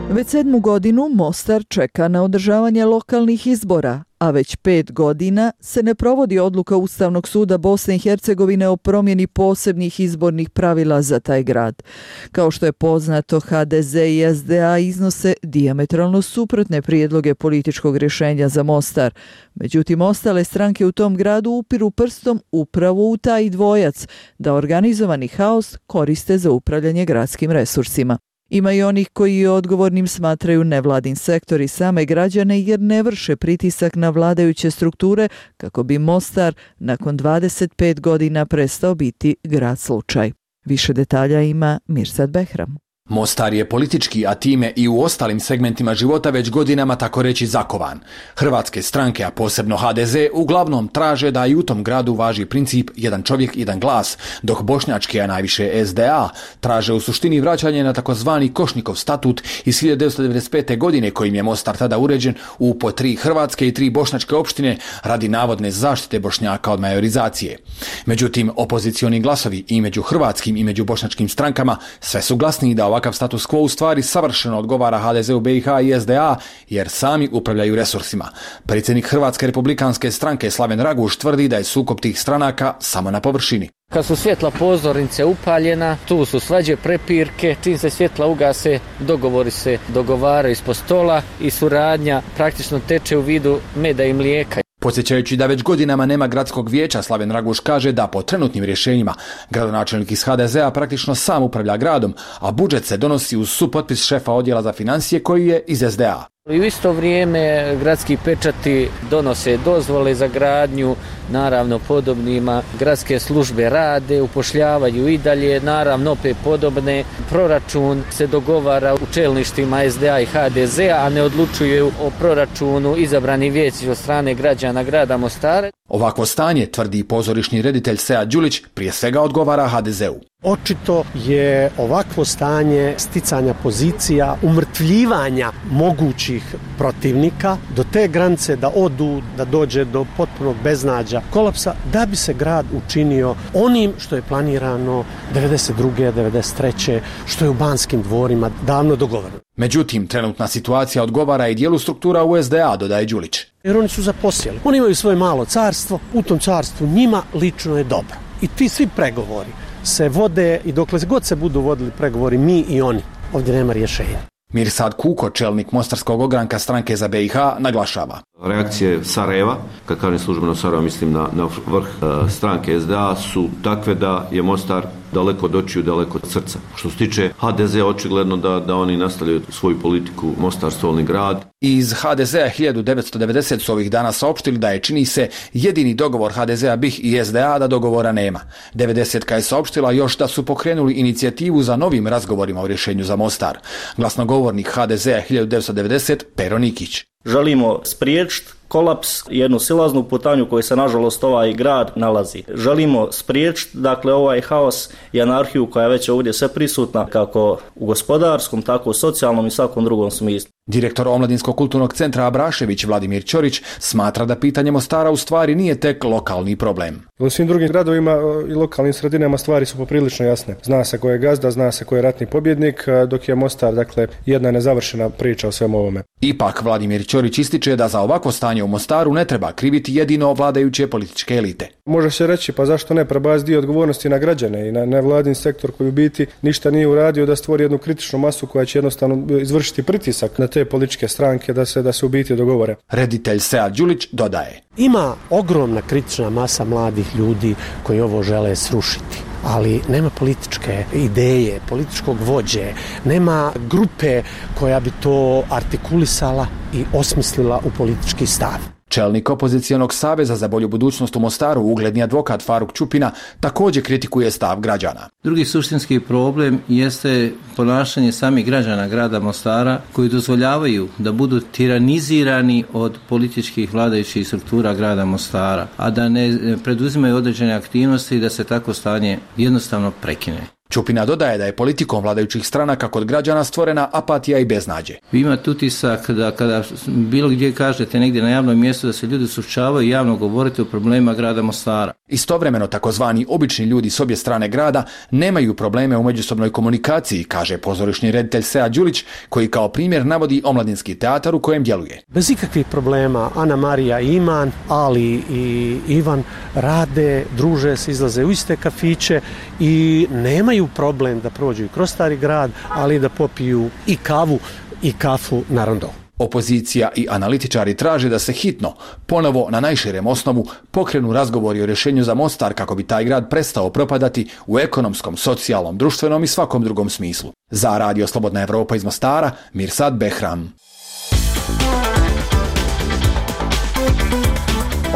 Speaker 1: Već sedmu godinu Mostar čeka na održavanje lokalnih izbora, a već pet godina se ne provodi odluka Ustavnog suda Bosne i Hercegovine o promjeni posebnih izbornih pravila za taj grad. Kao što je poznato, ha de ze i es de a iznose dijametralno suprotne prijedloge političkog rješenja za Mostar. Međutim, ostale stranke u tom gradu upiru prstom upravo u taj dvojac, da organizovani haos koriste za upravljanje gradskim resursima. Ima i onih koji odgovornim smatraju nevladin sektor i same građane jer ne vrše pritisak na vladajuće strukture kako bi Mostar nakon dvadeset pet godina prestao biti grad slučaj. Više detalja ima Mirsad Behram.
Speaker 11: Mostar je politički, a time i u ostalim segmentima života već godinama tako reći zakovan. Hrvatske stranke, a posebno ha de ze, uglavnom traže da i u tom gradu važi princip jedan čovjek, jedan glas, dok bošnjačke, a najviše es de a, traže u suštini vraćanje na takozvani Košnikov statut iz hiljadu devetsto devedeset pete. godine kojim je Mostar tada uređen u po tri hrvatske i tri bošnjačke opštine radi navodne zaštite Bošnjaka od majorizacije. Međutim, opozicioni glasovi i među hrvatskim i među bošnjačkim strankama sve su glasniji da ovakav status quo u stvari savršeno odgovara ha de ze u be i ha i es de a jer sami upravljaju resursima. Predsjednik Hrvatske republikanske stranke Slaven Raguž tvrdi da je sukob tih stranaka samo na površini.
Speaker 7: Kad su svjetla pozornice upaljena, tu su svađe, prepirke, čim se svjetla ugase, dogovori se dogovaraju ispod stola i suradnja praktično teče u vidu meda i mlijeka.
Speaker 11: Podsjećajući da već godinama nema gradskog vijeća, Slaven Raguž kaže da po trenutnim rješenjima gradonačelnik iz ha de ze a praktično sam upravlja gradom, a budžet se donosi uz supotpis šefa odjela za financije koji je iz es de a.
Speaker 7: I u isto vrijeme gradski pečati donose dozvole za gradnju, naravno podobnima, gradske službe rade, upošljavaju i dalje, naravno opet podobne. Proračun se dogovara u čelništvima es de a i ha de ze a, a ne odlučuju o proračunu izabrani vijeći od strane građana grada Mostara.
Speaker 11: Ovakvo stanje, tvrdi pozorišni reditelj Sead Đulić, prije svega odgovara ha de ze u.
Speaker 12: Očito je ovakvo stanje sticanja pozicija, umrtvljivanja mogućih protivnika do te granice da odu, da dođe do potpunog beznađa, kolapsa, da bi se grad učinio onim što je planirano devedeset druge. devedeset treće. što je u Banskim dvorima davno dogovoreno.
Speaker 11: Međutim, trenutna situacija odgovara i dijelu struktura u es de a, dodaje Đulić.
Speaker 12: Jer oni su zaposjeli. Oni imaju svoje malo carstvo, u tom carstvu njima lično je dobro. I ti svi pregovori se vode i dokle god se budu vodili pregovori mi i oni, ovdje nema rješenja.
Speaker 11: Mirsad Kuko, čelnik Mostarskog ogranka stranke za be i ha, naglašava.
Speaker 13: Reakcije Sarajeva, kad kažem službeno Sarajeva mislim na, na vrh uh, stranke S D A, su takve da je Mostar daleko od očiju, daleko od srca. Što se tiče H D Z, očigledno da, da oni nastavljaju svoju politiku Mostar stolni grad.
Speaker 11: Iz H D Z-a hiljadu devetsto devedeset su ovih dana saopštili da je, čini se, jedini dogovor H D Z-a B I H i S D A da dogovora nema. devedesetka je saopštila još da su pokrenuli inicijativu za novim razgovorima o rješenju za Mostar. Glasnogovornik H D Z-a hiljadu devetsto devedeset Pero Nikić.
Speaker 14: Želimo spriječiti kolaps, jednu silaznu putanju u kojoj se nažalost ovaj grad nalazi. Želimo spriječiti dakle ovaj haos i anarhiju koja je već ovdje sve prisutna kako u gospodarskom, tako u socijalnom i svakom drugom smislu.
Speaker 11: Direktor Omladinskog kulturnog centra Abrašević Vladimir Ćorić smatra da pitanje Mostara u stvari nije tek lokalni problem.
Speaker 15: U svim drugim gradovima i lokalnim sredinama stvari su poprilično jasne. Zna se ko je gazda, zna se ko je ratni pobjednik, dok je Mostar dakle jedna nezavršena priča o svemu ovome.
Speaker 11: Ipak Vladimir Ćorić ističe da za ovakvo stanje u Mostaru ne treba kriviti jedino vladajuće političke elite.
Speaker 15: Može se reći pa zašto ne prebaciti dio odgovornosti na građane i na nevladin sektor koji u biti ništa nije uradio da stvori jednu kritičnu masu koja će jednostavno izvršiti pritisak na te političke stranke da se da se u biti dogovore.
Speaker 11: Reditelj Sead Đulić dodaje:
Speaker 12: Ima ogromna kritična masa mladih ljudi koji ovo žele srušiti, ali nema političke ideje, političkog vođe, nema grupe koja bi to artikulisala i osmislila u politički stav.
Speaker 11: Čelnik opozicijonog saveza za bolju budućnost u Mostaru, ugledni advokat Faruk Čupina, također kritikuje stav građana.
Speaker 16: Drugi suštinski problem jeste ponašanje samih građana grada Mostara koji dozvoljavaju da budu tiranizirani od političkih vladajućih struktura grada Mostara, a da ne preduzimaju određene aktivnosti i da se tako stanje jednostavno prekine.
Speaker 11: Čupina dodaje da je politikom vladajućih stranaka kod građana stvorena apatija i beznađe.
Speaker 16: Vi imate utisak da kada bilo gdje kažete negdje na javnom mjestu da se ljudi suočavaju i javno govorite o problemima grada Mostara.
Speaker 11: Istovremeno takozvani obični ljudi s obje strane grada nemaju probleme u međusobnoj komunikaciji, kaže pozorišni reditelj Sead Đulić, koji kao primjer navodi omladinski teatar u kojem djeluje.
Speaker 12: Bez ikakvih problema Ana Marija i Iman, Ali i Ivan rade, druže se, izlaze u iste kafiće i nemaju problem da prođu i kroz Stari grad, ali da popiju i kavu i kafu na rondo.
Speaker 11: Opozicija i analitičari traže da se hitno, ponovo na najširem osnovu, pokrenu razgovori o rješenju za Mostar kako bi taj grad prestao propadati u ekonomskom, socijalnom, društvenom i svakom drugom smislu. Za Radio Slobodna Evropa iz Mostara, Mirsad Behram.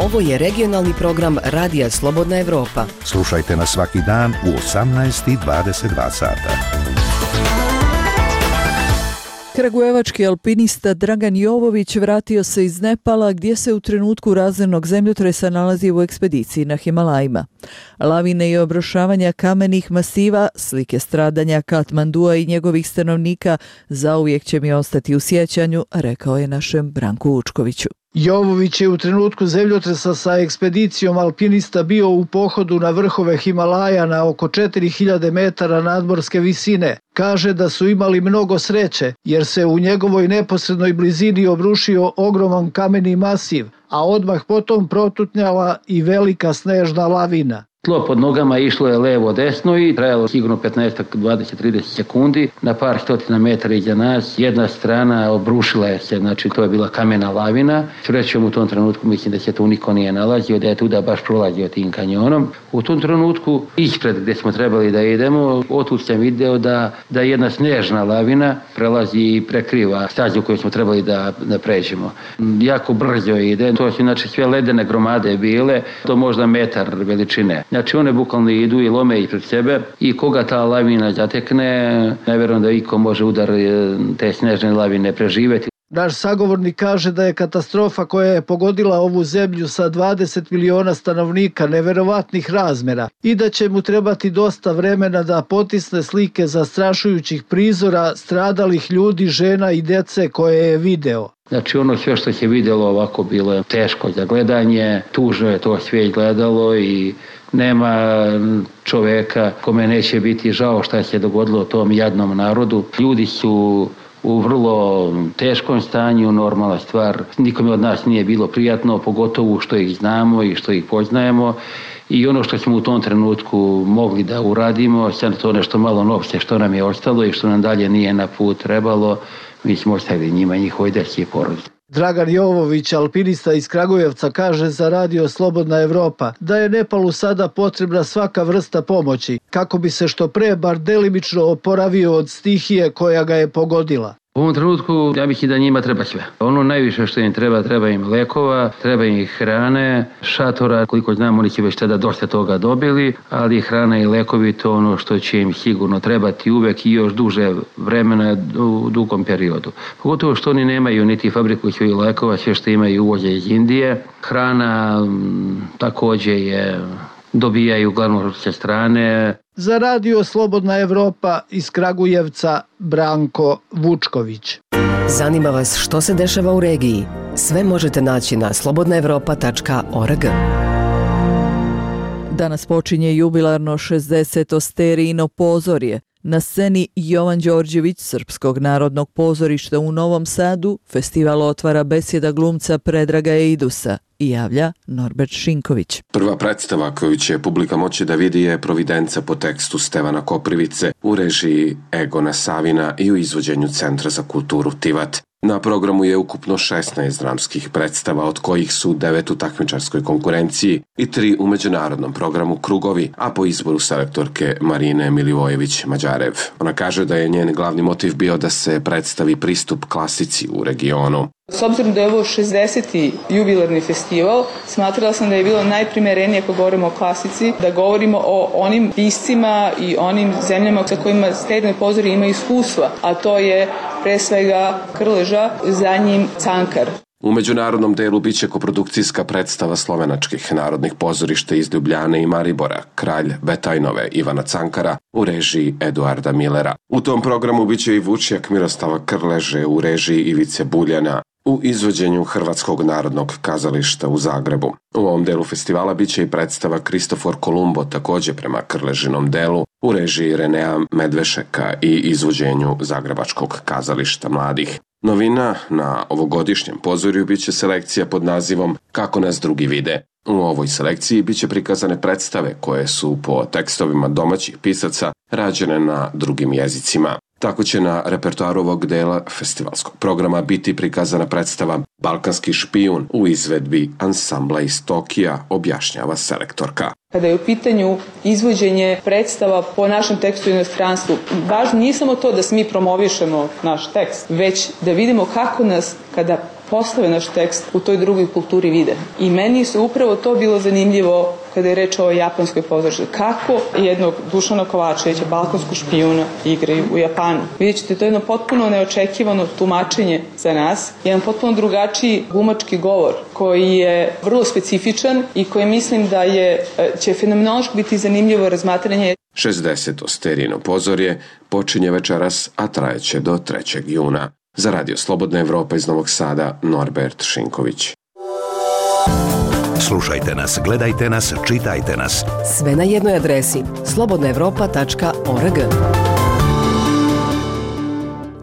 Speaker 8: Ovo je regionalni program Radija Slobodna Evropa.
Speaker 2: Slušajte nas svaki dan u osamnaest i dvadeset dva sata.
Speaker 1: Kragujevački alpinista Dragan Jovović vratio se iz Nepala gdje se u trenutku razornog zemljotresa nalazi u ekspediciji na Himalajima. Lavine i obrušavanja kamenih masiva, slike stradanja Katmandua i njegovih stanovnika zauvijek će mi ostati u sjećanju, rekao je našem Branku Učkoviću.
Speaker 17: Jovović je u trenutku zemljotresa sa ekspedicijom alpinista bio u pohodu na vrhove Himalaja na oko četiri hiljade metara nadmorske visine. Kaže da su imali mnogo sreće jer se u njegovoj neposrednoj blizini obrušio ogroman kameni masiv, a odmah potom protutnjala i velika snežna lavina.
Speaker 9: Tlo pod nogama išlo je levo desno i trajalo sigurno petnaest, dvadeset, trideset sekundi. Na par stotina metara iza nas jedna strana obrušila je se, znači to je bila kamena lavina. Srećom u tom trenutku mislim da se tu niko nije nalazio, da je tuda baš prolazio tim kanjonom. U tom trenutku ispred gdje smo trebali da idemo, otud sam video da, da jedna snežna lavina prelazi i prekriva stazu koju smo trebali da, da pređemo. Jako brzo ide, to su znači sve ledene gromade bile, to možda metar veličine. Znači one bukvalno idu i lome ispred sebe i koga ta lavina zatekne, ne vjerujem da iko može udar te snežne lavine preživjeti.
Speaker 17: Naš sagovornik kaže da je katastrofa koja je pogodila ovu zemlju sa dvadeset miliona stanovnika neverovatnih razmjera i da će mu trebati dosta vremena da potisne slike zastrašujućih prizora stradalih ljudi, žena i djece koje je video.
Speaker 9: Znači ono sve što se vidjelo ovako bilo je teško za gledanje, tužno je to sve gledalo i nema čovjeka kome neće biti žao šta se dogodilo tom jadnom narodu. Ljudi su u vrlo teškom stanju, normalna stvar. Nikome od nas nije bilo prijatno, pogotovo što ih znamo i što ih poznajemo. I ono što smo u tom trenutku mogli da uradimo, sad to nešto malo novce što nam je ostalo i što nam dalje nije na put trebalo, mi smo ostavili njima njihove djece i porodice.
Speaker 17: Dragan Jovović, alpinista iz Kragujevca, kaže za Radio Slobodna Evropa da je Nepalu sada potrebna svaka vrsta pomoći kako bi se što pre bar delimično oporavio od stihije koja ga je pogodila.
Speaker 9: U ovom trenutku ja bih i da njima treba sve. Ono najviše što im treba, treba im lekova, treba im hrane, šatora, koliko znam oni će već tada dosta toga dobili, ali hrana i lekovi to ono što će im sigurno trebati uvek i još duže vremena u dugom periodu. Pogotovo što oni nemaju niti fabriku svojih lekova, sve što imaju uvođe iz Indije. Hrana m, također je dobijaju uglavnom s strane.
Speaker 17: Za Radio Slobodna Evropa iz Kragujevca Branko Vučković.
Speaker 8: Zanima vas što se dešava u regiji? Sve možete naći na slobodna evropa tačka org.
Speaker 1: Danas počinje jubilarno šezdeseto Sterijino pozorje. Na sceni Jovan Đorđević Srpskog narodnog pozorišta u Novom Sadu festival otvara besjeda glumca Predraga Eidusa i javlja Norbert Šinković.
Speaker 19: Prva predstava koju će publika moći da vidi je Providenca po tekstu Stevana Koprivice u režiji Egona Savina i u izvođenju Centra za kulturu Tivat. Na programu je ukupno šesnaest dramskih predstava, od kojih su devet u takmičarskoj konkurenciji i tri u međunarodnom programu Krugovi, a po izboru selektorke Marine Milivojević-Mađarev. Ona kaže da je njen glavni motiv bio da se predstavi pristup klasici u regionu.
Speaker 10: S obzirom da je ovo šezdeseti jubilarni festival, smatrala sam da je bilo najprimerenije, ako govorimo o klasici, da govorimo o onim piscima i onim zemljama sa kojima Sterijino pozorje ima iskustva, a to je pre svega Krleža, za njim Cankar.
Speaker 19: U međunarodnom delu biće koprodukcijska predstava slovenačkih narodnih pozorišta iz Ljubljane i Maribora, Kralj Betajnove Ivana Cankara u režiji Eduarda Millera. U tom programu biće i Vučjak Mirostava Krleže u režiji Ivice Buljana u izvođenju Hrvatskog narodnog kazališta u Zagrebu. U ovom delu festivala biće i predstava Kristofor Kolumbo, također prema Krležinom delu, u režiji Renea Medvešeka i izvođenju Zagrebačkog kazališta mladih. Novina na ovogodišnjem pozorju biće selekcija pod nazivom Kako nas drugi vide. U ovoj selekciji biće prikazane predstave koje su po tekstovima domaćih pisaca rađene na drugim jezicima. Tako će na repertoaru ovog dela festivalskog programa biti prikazana predstava Balkanski špijun u izvedbi ansambla iz Tokija, objašnjava selektorka.
Speaker 10: Kada je u pitanju izvođenje predstava po našem tekstu u inostranstvu, važno nije samo to da mi promovišemo naš tekst, već da vidimo kako nas, kada postave naš tekst, u toj drugoj kulturi vide. I meni su upravo to bilo zanimljivo kada je reč o japanskoj pozorištu. Kako jednog Dušana Kovačevića, Balkansku špijuna, igraju u Japanu. Vidjet ćete, to je jedno potpuno neočekivano tumačenje za nas, jedan potpuno drugačiji glumački govor koji je vrlo specifičan i koji mislim da je, će fenomenološki biti zanimljivo razmatranje.
Speaker 19: šezdeseto Sterijino pozorje počinje večeras, a trajeće do trećeg juna. Za Radio Slobodna Evropa iz Novog Sada, Norbert Šinković.
Speaker 2: Slušajte nas, gledajte nas, čitajte nas.
Speaker 8: Sve na jednoj adresi slobodna evropa tačka org.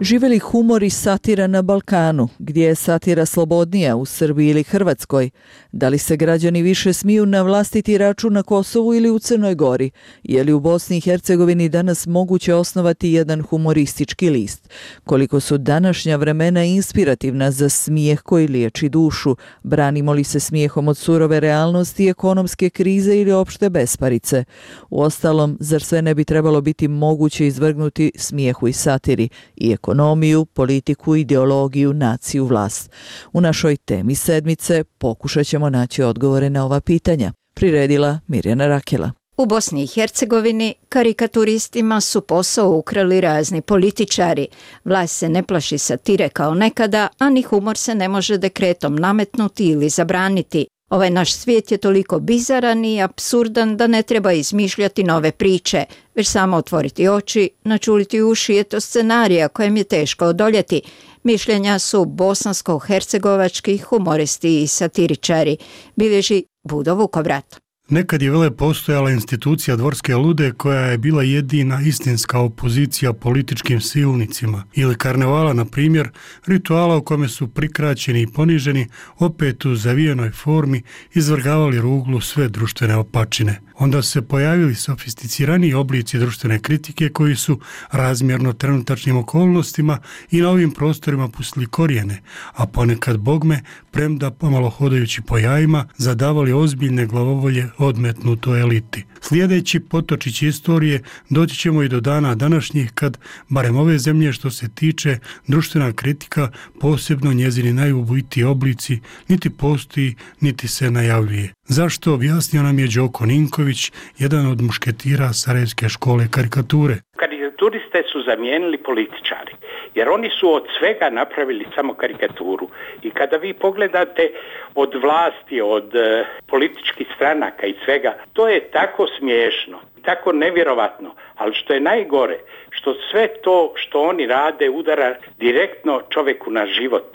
Speaker 1: Žive li humor i satira na Balkanu? Gdje je satira slobodnija, u Srbiji ili Hrvatskoj? Da li se građani više smiju na vlastiti račun na Kosovu ili u Crnoj Gori? Je li u Bosni i Hercegovini danas moguće osnovati jedan humoristički list? Koliko su današnja vremena inspirativna za smijeh koji liječi dušu? Branimo li se smijehom od surove realnosti, ekonomske krize ili opšte besparice? Uostalom, zar sve ne bi trebalo biti moguće izvrgnuti smijehu i satiri i ekonomiju, politiku, ideologiju, naciju, vlast? U našoj temi sedmice pokušat ćemo naći odgovore na ova pitanja. Priredila Mirjana Rakela.
Speaker 20: U Bosni i Hercegovini karikaturistima su posao ukrali razni političari. Vlast se ne plaši satire kao nekada, a ni humor se ne može dekretom nametnuti ili zabraniti. Ovaj naš svijet je toliko bizaran i apsurdan da ne treba izmišljati nove priče, već samo otvoriti oči, načuliti uši je to scenarija kojem je teško odoljeti. Mišljenja su bosansko-hercegovački humoristi i satiričari, bilježi Budo Vukovrat.
Speaker 23: Nekad je vele postojala institucija Dvorske lude koja je bila jedina istinska opozicija političkim silnicima, ili karnevala, na primjer, rituala u kome su prikraćeni i poniženi opet u zavijenoj formi izvrgavali ruglu sve društvene opačine. onda su se pojavili sofisticirani oblici društvene kritike koji su razmjerno trenutačnim okolnostima i na ovim prostorima pustili korijene, a ponekad bogme, premda pomalo hodajući po jajima, zadavali ozbiljne glavovolje odmetnutoj eliti. Slijedeći potočići istorije doći ćemo i do dana današnjih kad, barem ove zemlje što se tiče, društvena kritika, posebno njezini najubojitiji oblici, niti postoji, niti se najavljuje. Zašto, objasnio nam je Đoko Ninković, jedan od mušketira Sarajevske škole karikature.
Speaker 18: Karikaturiste su zamijenili političari, jer oni su od svega napravili samo karikaturu. I kada vi pogledate od vlasti, od e, političkih stranaka i svega, to je tako smiješno, tako nevjerovatno, ali što je najgore, što sve to što oni rade udara direktno čovjeku na život.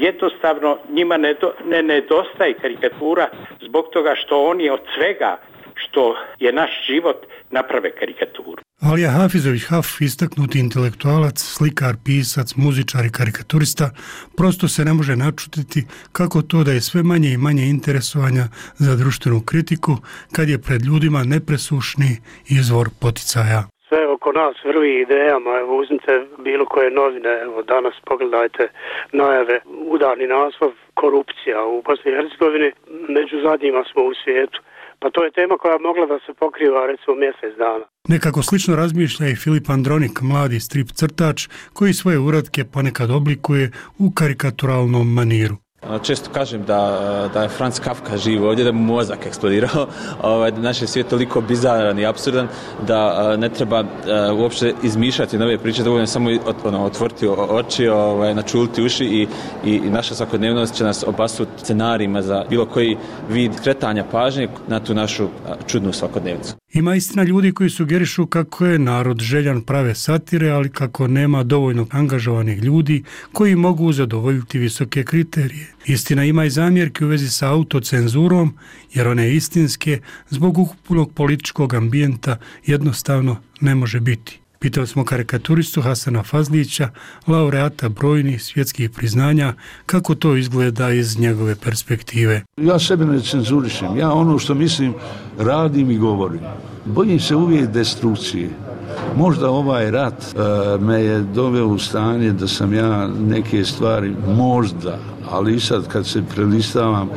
Speaker 18: Jednostavno njima ne, do, ne nedostaje karikatura zbog toga što oni od svega što je naš život naprave karikaturu.
Speaker 23: Alija Hafizović Haf, istaknuti intelektualac, slikar, pisac, muzičar i karikaturista, prosto se ne može načutiti kako to da je sve manje i manje interesovanja za društvenu kritiku kad je pred ljudima nepresušni izvor poticaja.
Speaker 21: Sve oko nas vrvi idejama, evo uzmite bilo koje novine, evo danas pogledajte najave, udarni naslov, korupcija u Bosni i Hercegovini, među zadnjima smo u svijetu. Pa to je tema koja mogla da se pokriva recimo mjesec dana.
Speaker 23: Nekako slično razmišlja i Filip Andronik, mladi strip crtač koji svoje uratke ponekad oblikuje u karikaturalnom maniru.
Speaker 22: Često kažem da, da je Franz Kafka živ ovdje, da mu mozak eksplodirao, ovaj, da naš je svijet toliko bizaran i apsurdan da ne treba uopće izmišljati nove priče, dovoljno samo ono, otvoriti oči, ovaj, načuliti uši i, i, i naša svakodnevnost će nas obasuti scenarijima za bilo koji vid kretanja pažnje na tu našu čudnu svakodnevnicu.
Speaker 23: Ima istina ljudi koji sugerišu kako je narod željan prave satire, ali kako nema dovoljno angažovanih ljudi koji mogu zadovoljiti visoke kriterije. Istina ima i zamjerke u vezi sa autocenzurom, jer one istinske zbog ukupnog političkog ambijenta jednostavno ne može biti. Pitali smo karikaturistu Hasana Fazlića, laureata brojnih svjetskih priznanja, kako to izgleda iz njegove perspektive.
Speaker 24: Ja sebe ne cenzurišem, ja ono što mislim radim i govorim. Bojim se uvijek destrukcije. Možda ovaj rat uh, me je doveo u stanje da sam ja neke stvari možda, ali i sad kad se prelistavam,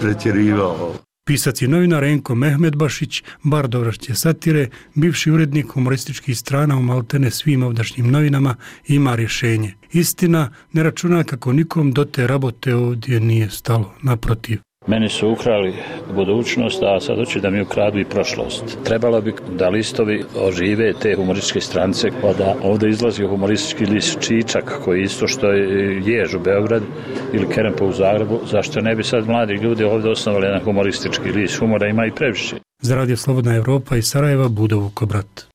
Speaker 24: pretjerivao.
Speaker 23: Pisac i novinar Enko Mehmedbašić, bar dovršće satire, bivši urednik humorističkih strana u maltene svim ovdašnjim novinama, ima rješenje. Istina, ne računa kako nikom do te rabote ovdje nije stalo, naprotiv.
Speaker 25: Meni su ukrali budućnost, a sad hoće da mi ukradu i prošlost. Trebalo bi da listovi ožive te humorističke strance, pa da ovdje izlazi humoristički list Čičak, koji isto što je Jež u Beogradu ili Kerempo u Zagrebu. Zašto ne bi sad mladi ljudi ovdje osnovali jedan humoristički list? Humora ima i previše.
Speaker 23: Za Radio Slobodna Evropa iz Sarajeva, Budo Vukobrat.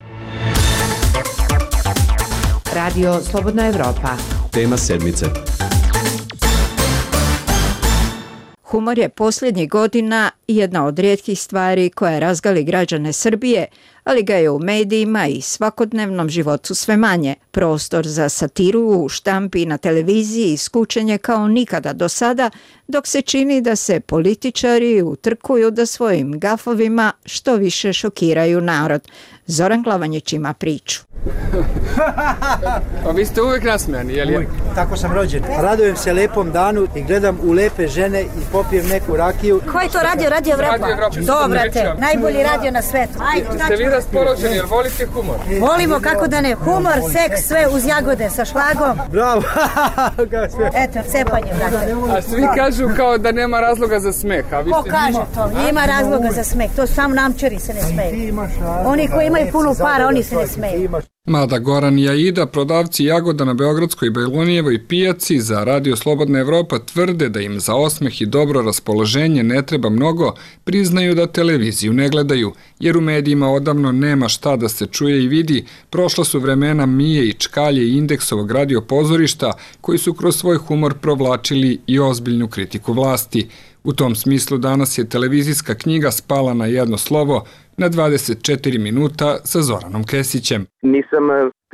Speaker 8: Radio Slobodna Evropa.
Speaker 26: Tema sedmice.
Speaker 20: Humor je posljednjih godina jedna od rijetkih stvari koja razgali građane Srbije, ali ga je u medijima i svakodnevnom životu sve manje. Prostor za satiru u štampi i na televiziji iskučen je kao nikada do sada, dok se čini da se političari utrkuju da svojim gafovima što više šokiraju narod. Zoran Glavanjić ima priču.
Speaker 27: Pa vi ste uvijek nasmijani, je li?
Speaker 28: Uvijek, tako sam rođen. Radujem se lepom danu i gledam u lepe žene i popijem neku rakiju.
Speaker 29: Ko je to radio? Radio Evropa? Dobrate, najbolji radio na svetu. Ajde,
Speaker 27: ste vi raspoloženi, jer volite humor?
Speaker 29: Volimo, kako da ne. Humor, seks, sve uz jagode sa šlagom.
Speaker 28: Bravo!
Speaker 29: Eto, cepanje, brate.
Speaker 27: A svi kažu kao da nema razloga za smeh. A vi
Speaker 29: Ko kaže to? Ima razloga za smeh. To sam namčari se ne smeju. Oni koji imaju puno para, oni se ne smeju.
Speaker 27: Mada Goran i Aida, prodavci jagoda na Beogradskoj i Bajlonijevoj pijaci, za Radio Slobodna Evropa tvrde da im za osmeh i dobro raspoloženje ne treba mnogo, priznaju da televiziju ne gledaju, jer u medijima odavno nema šta da se čuje i vidi. Prošla su vremena Mije i Čkalje i Indeksovog radio pozorišta, koji su kroz svoj humor provlačili i ozbiljnu kritiku vlasti. U tom smislu danas je televizijska knjiga spala na jedno slovo, na dvadeset četiri minuta sa Zoranom Kesićem.
Speaker 30: Nisam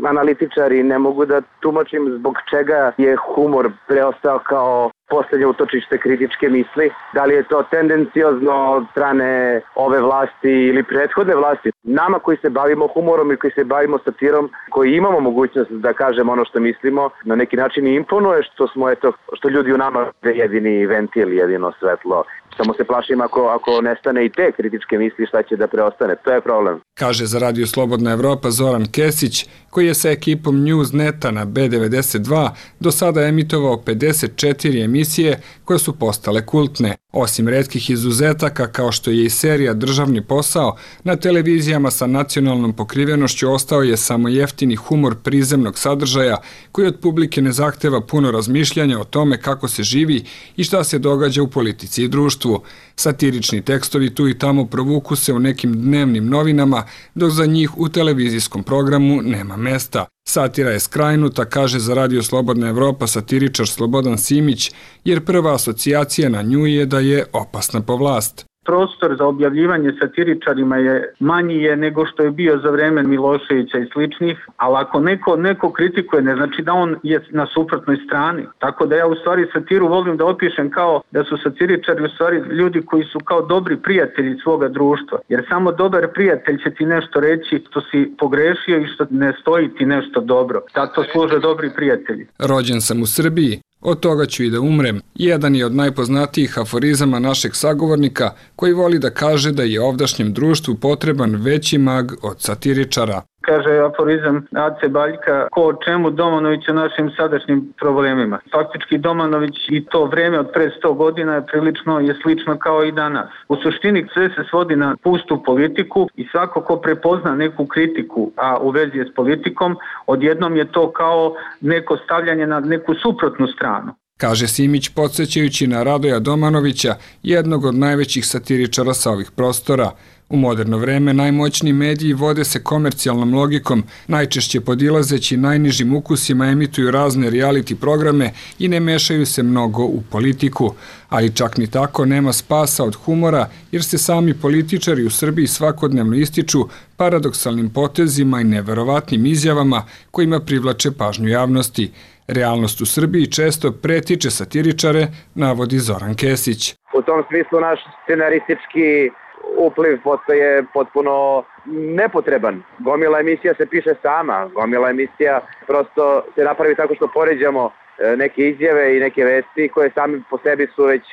Speaker 3: analitičari ne mogu da tumačim zbog čega je humor preostao kao poslednje utočište kritičke misli. Da li je to tendenciozno od strane ove vlasti ili prethodne vlasti? Nama koji se bavimo humorom i koji se bavimo satirom, koji imamo mogućnost da kažemo ono što mislimo, na neki način i imponuje što smo, eto, što ljudi u nama je jedini ventil, jedino svetlo. Samo se plašim ako, ako nestane i te kritičke misli, šta će da preostane. To je problem.
Speaker 27: Kaže za Radio Slobodna Evropa Zoran Kesić, koji je sa ekipom Newsneta na B devedeset dva do sada emitovao pedeset četiri emisije koje su postale kultne. Osim retkih izuzetaka, kao što je i serija Državni posao, na televizijama sa nacionalnom pokrivenošću ostao je samo jeftini humor prizemnog sadržaja, koji od publike ne zahteva puno razmišljanja o tome kako se živi i šta se događa u politici i društvu. Satirični tekstovi tu i tamo provuku se u nekim dnevnim novinama, dok za njih u televizijskom programu nema mesta. Satira je skrajnuta, kaže za Radio Slobodna Evropa satiričar Slobodan Simić, jer prva asocijacija na nju je da je opasna po vlast.
Speaker 4: Prostor za objavljivanje satiričarima je manji je nego što je bio za vreme Miloševića i sličnih, ali ako neko, neko kritikuje, ne znači da on je na suprotnoj strani. Tako da ja u stvari satiru volim da opišem kao da su satiričari u stvari ljudi koji su kao dobri prijatelji svoga društva. Jer samo dobar prijatelj će ti nešto reći što si pogrešio i što ne stoji ti nešto dobro. Zato služe dobri prijatelji.
Speaker 27: Rođen sam u Srbiji. Od toga ću i da umrem. Jedan je od najpoznatijih aforizama našeg sagovornika, koji voli da kaže da je ovdašnjem društvu potreban veći mag od satiričara.
Speaker 4: Kaže aforizam Ace Baljka, ko o čemu, Domanović o našim sadašnjim problemima. Faktički Domanović i to vreme od pre sto godina je prilično je slično kao i danas. U suštini sve se svodi na pustu politiku i svako ko prepozna neku kritiku, a u vezi je s politikom, odjednom je to kao neko stavljanje na neku suprotnu stranu.
Speaker 27: Kaže Simić podsjećajući na Radoja Domanovića, jednog od najvećih satiričara sa ovih prostora. U moderno vreme najmoćniji mediji vode se komercijalnom logikom, najčešće podilazeći najnižim ukusima emituju razne reality programe i ne mešaju se mnogo u politiku. Ali čak ni tako nema spasa od humora, jer se sami političari u Srbiji svakodnevno ističu paradoksalnim potezima i neverovatnim izjavama kojima privlače pažnju javnosti. Realnost u Srbiji često pretiče satiričare, navodi Zoran Kesić.
Speaker 3: U tom smislu naš scenaristički upliv postaje potpuno nepotreban. Gomila emisija se piše sama, gomila emisija prosto se napravi tako što poređamo neke izjave i neke vesti koje sami po sebi su već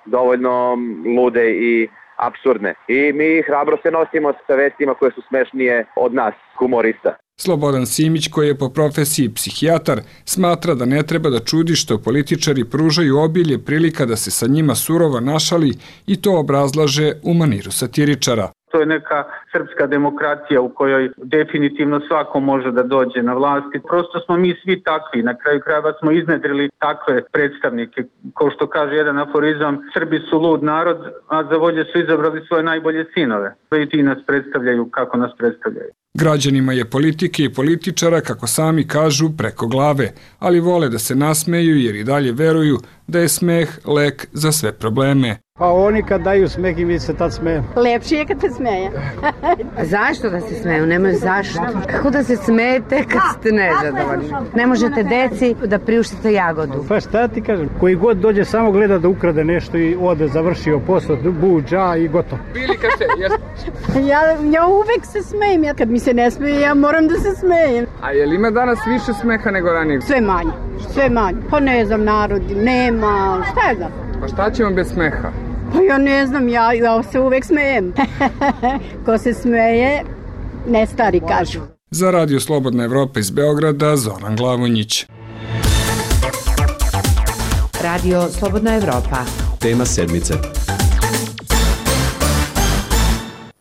Speaker 3: dovoljno lude i apsurdne. I mi hrabro se nosimo sa vestima koje su smešnije od nas, humorista.
Speaker 27: Slobodan Simić, koji je po profesiji psihijatar, smatra da ne treba da čudi što političari pružaju obilje prilika da se sa njima surovo našali i to obrazlaže u maniru satiričara.
Speaker 4: To je neka srpska demokratija u kojoj definitivno svako može da dođe na vlast. Prosto smo mi svi takvi. Na kraju krajeva smo iznedrili takve predstavnike. Kao što kaže jedan aforizam, Srbi su lud narod, a za volje su izabrali svoje najbolje sinove. I ti nas predstavljaju kako nas predstavljaju.
Speaker 27: Građanima je politike i političara, kako sami kažu, preko glave, ali vole da se nasmeju jer i dalje veruju da je smeh lek za sve probleme.
Speaker 28: Pa oni kad daju smeh i mi se tad smeju.
Speaker 5: Lepše je kad se smeje. Zašto da se smeju? Nemaju zašto. Kako da se smete kad ste nezadovoljni? Ne možete deci da priuštite jagodu.
Speaker 28: Pa šta ti kažem? Koji god dođe samo gleda da ukrade nešto i ode, završio posao, buđa i gotovo.
Speaker 5: ja, ja uvek se smejem. Ja kad mi se ne smeje, ja moram da se smejem.
Speaker 27: A je li ima danas više smeha nego ranije?
Speaker 5: Sve manje. Sve manje. Pa ne znam, narod nema. Šta je znam?
Speaker 27: Pa šta ćemo bez smeha?
Speaker 5: Pa ja ne znam, ja, ja se uvek smejem. Ko se smeje, ne stari kažu.
Speaker 27: Za Radio Slobodna Evropa iz Beograda, Zoran Glavonjić.
Speaker 6: Radio Slobodna Evropa.
Speaker 7: Tema sedmice.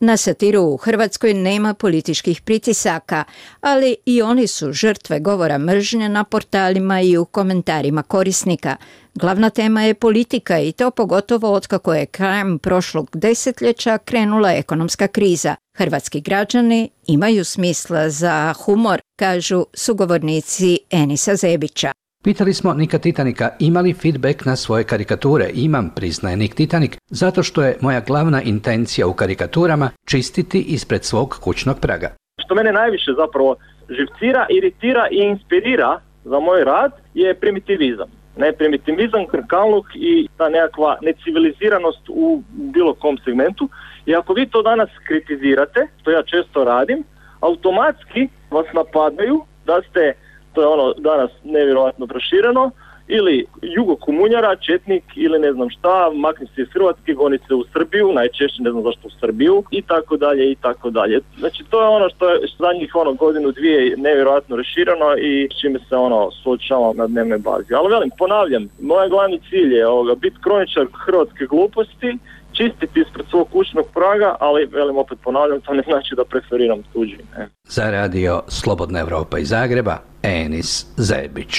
Speaker 20: Na satiru u Hrvatskoj nema političkih pritisaka, ali i oni su žrtve govora mržnje na portalima i u komentarima korisnika. Glavna tema je politika i to pogotovo otkako je krajem prošlog desetljeća krenula ekonomska kriza. Hrvatski građani imaju smisla za humor, kažu sugovornici Enisa Zebića.
Speaker 13: Pitali smo Nika Titanika ima li feedback na svoje karikature. Imam, priznaje Nik Titanik, zato što je moja glavna intencija u karikaturama čistiti ispred svog kućnog praga.
Speaker 14: Što mene najviše zapravo
Speaker 7: živcira, iritira i inspirira za moj rad je primitivizam. Ne, primitivizam, krkaluk i ta nekakva neciviliziranost u bilo kom segmentu. I ako vi to danas kritizirate, što ja često radim, automatski vas napadaju da ste, to je ono danas nevjerojatno prošireno, ili jugokomunjara, četnik ili ne znam šta, makni se iz Hrvatske, goni se u Srbiju, najčešće ne znam zašto u Srbiju i tako dalje i tako dalje. Znači to je ono što je zadnjih ono godinu dvije nevjerojatno rašireno i s čime se ono suočavamo na dnevnoj bazi. Ali velim, ponavljam, moj glavni cilj je ovoga, biti kroničar hrvatske gluposti, čistiti ispred svog kućnog praga, ali velim opet ponavljam, to ne znači da preferiram tuđi. Ne.
Speaker 13: Za radio Slobodna Evropa iz Zagreba, Enis Zebić.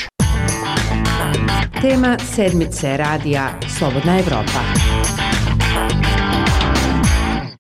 Speaker 6: Tema sedmice radija Slobodna Evropa.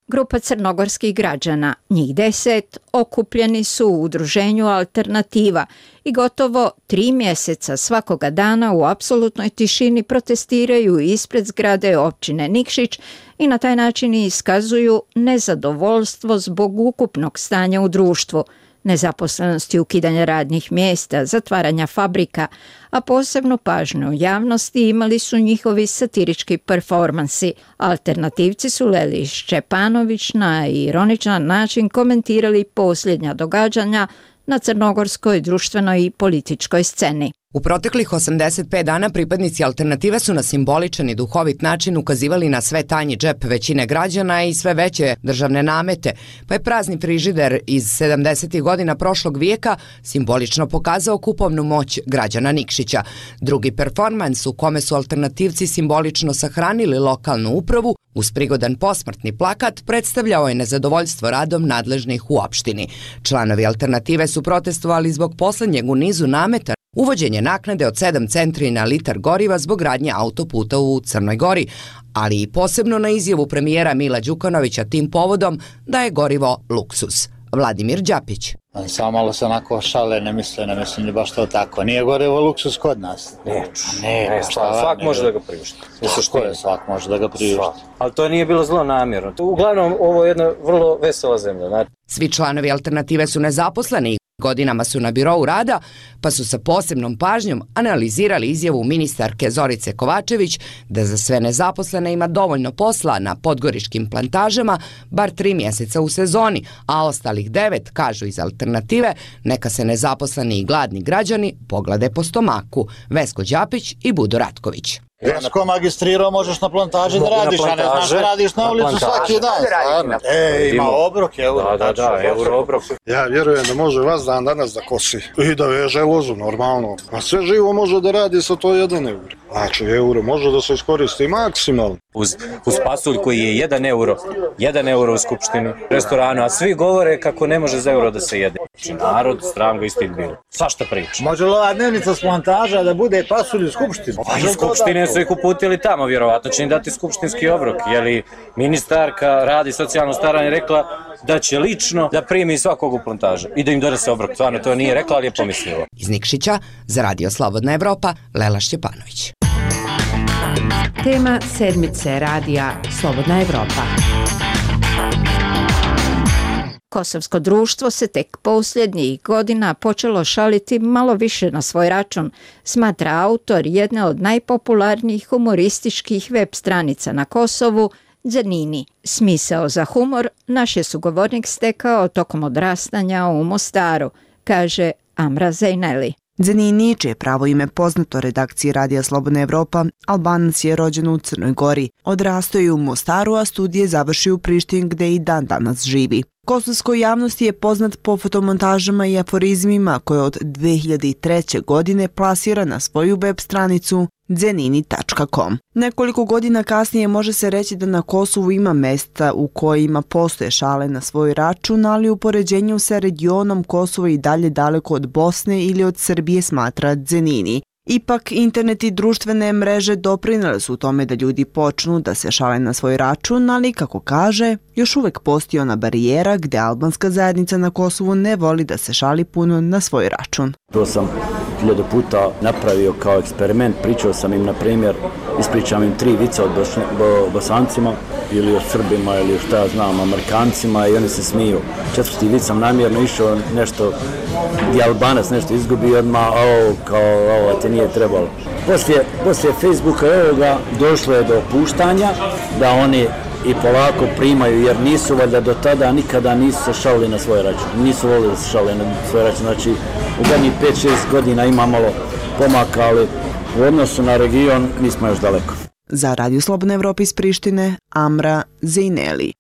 Speaker 20: Grupa crnogorskih građana, njih deset, okupljeni su u udruženju Alternativa i gotovo tri mjeseca svakoga dana u apsolutnoj tišini protestiraju ispred zgrade općine Nikšić i na taj način iskazuju nezadovoljstvo zbog ukupnog stanja u društvu, nezaposlenosti, ukidanja radnih mjesta, zatvaranja fabrika, a posebnu pažnju javnosti imali su njihovi satirički performansi. Alternativci su Leli Šćepanović na ironičan način komentirali posljednja događanja na crnogorskoj društvenoj i političkoj sceni.
Speaker 9: U proteklih osamdeset pet dana pripadnici Alternative su na simboličan i duhovit način ukazivali na sve tanji džep većine građana i sve veće državne namete, pa je prazni frižider iz sedamdesetih godina prošlog vijeka simbolično pokazao kupovnu moć građana Nikšića. Drugi performans u kome su alternativci simbolično sahranili lokalnu upravu uz prigodan posmrtni plakat predstavljao je nezadovoljstvo radom nadležnih u opštini. Članovi Alternative su protestovali zbog poslednjeg u nizu nameta uvođenje naknade od sedam centri na litar goriva zbog gradnje autoputa u Crnoj Gori, ali i posebno na izjavu premijera Mila Đukanovića tim povodom da je gorivo luksuz. Vladimir Đapić.
Speaker 11: Samo malo se onako šale, ne misle, ne mislim ni baš to tako. Nije gorivo luksuz kod nas.
Speaker 12: Neću, ne, ne, šta, svak može da ga priušti.
Speaker 11: Što je, svak može da ga priušti.
Speaker 12: Ali to nije bilo zlo namjerno. Uglavnom, ovo je jedna vrlo vesela zemlja. Znači.
Speaker 9: Svi članovi Alternative su nezaposleni. Godinama su na birou rada, pa su sa posebnom pažnjom analizirali izjavu ministarke Zorice Kovačević da za sve nezaposlene ima dovoljno posla na podgoričkim plantažama, bar tri mjeseca u sezoni, a ostalih devet, kažu iz Alternative, neka se nezaposleni i gladni građani poglede po stomaku. Vesko Đapić i Budo Ratković.
Speaker 11: Vesko magistrirao možeš na plantaži da radiš, a ne znaš da radiš na ulicu svaki dan. E, ima obrok, euro.
Speaker 12: Da, da, da, euro obrok.
Speaker 14: Ja vjerujem da može vas dan danas da kosi i da veže lozu normalno. A sve živo može da radi sa to jedan euro. Znači, euro može da se iskoristi maksimalno.
Speaker 12: Uz, uz pasulj koji je jedan euro, jedan euro u skupštini, restoranu, a svi govore kako ne može za euro da se jede. Znači, narod, stram ga istit bilo. Svašta priča.
Speaker 11: Može li ova dnevnica s plantaža da bude pasulj u skupštini?
Speaker 12: Pa iz skupštine su ih uputili tamo, vjerovatno će im dati skupštinski obrok. Jeli ministarka radi socijalno staranje rekla da će lično da primi svakog u plantaža i da im donese obrok. Stvarno to nije rekla, ali je pomislila.
Speaker 9: Iz Nikšića za radio Slobodna Evropa, Lela Šćepanović.
Speaker 6: Tema sedmice radija Slobodna Evropa.
Speaker 20: Kosovsko društvo se tek posljednjih godina počelo šaliti malo više na svoj račun, smatra autor jedne od najpopularnijih humorističkih web stranica na Kosovu, Zernini. Smisao za humor naš je sugovornik stekao tokom odrastanja u Mostaru, kaže Amra Zejneli.
Speaker 15: Zernini, čije pravo ime poznato redakciji Radija Slobodna Evropa, Albanac je rođen u Crnoj Gori. Odrastao je u Mostaru, a studije završio u Prištini gde i dan danas živi. Kosovskoj javnosti je poznat po fotomontažama i aforizmima koje od dve hiljade treće. godine plasira na svoju web stranicu zernini tačka com. Nekoliko godina kasnije može se reći da na Kosovu ima mesta u kojima postoje šale na svoj račun, ali u poređenju sa regionom Kosovo i dalje daleko od Bosne ili od Srbije, smatra Zernini. Ipak, internet i društvene mreže doprinele su u tome da ljudi počnu da se šale na svoj račun, ali, kako kaže, još uvek postoji ona barijera gde albanska zajednica na Kosovu ne voli da se šali puno na svoj račun.
Speaker 16: To sam
Speaker 1: hiljadu puta napravio kao eksperiment. Pričao sam im, na primjer, ispričam im tri vica o bo, Bosancima ili o Srbima ili šta ja znam, Amerikancima i oni se smiju. Četvrti vic sam namjerno išao nešto gdje Albanac nešto izgubi odmah, ovo, kao ovo ti nije trebalo. Poslije, poslije Facebooka i ovoga došlo je do opuštanja da oni i polako primaju, jer nisu valjda do tada nikada nisu se šalili na svoj račun. Nisu volili da se šalili na svoj račun. Znači, u zadnjih pet šest godina ima malo pomaka, ali u odnosu na region mi smo još daleko.
Speaker 15: Za Radio Slobodna Evropa iz Prištine, Amra Zejneli.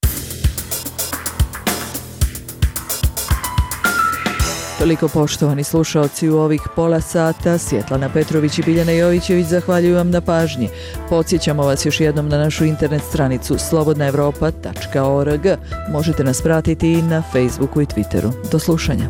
Speaker 2: Toliko, poštovani slušaoci, u ovih pola sata. Svjetlana Petrović i Biljana Jovićević zahvaljuju vam na pažnji. Podsjećamo vas još jednom na našu internet stranicu slobodna evropa tačka org. Možete nas pratiti i na Facebooku i Twitteru. Do slušanja.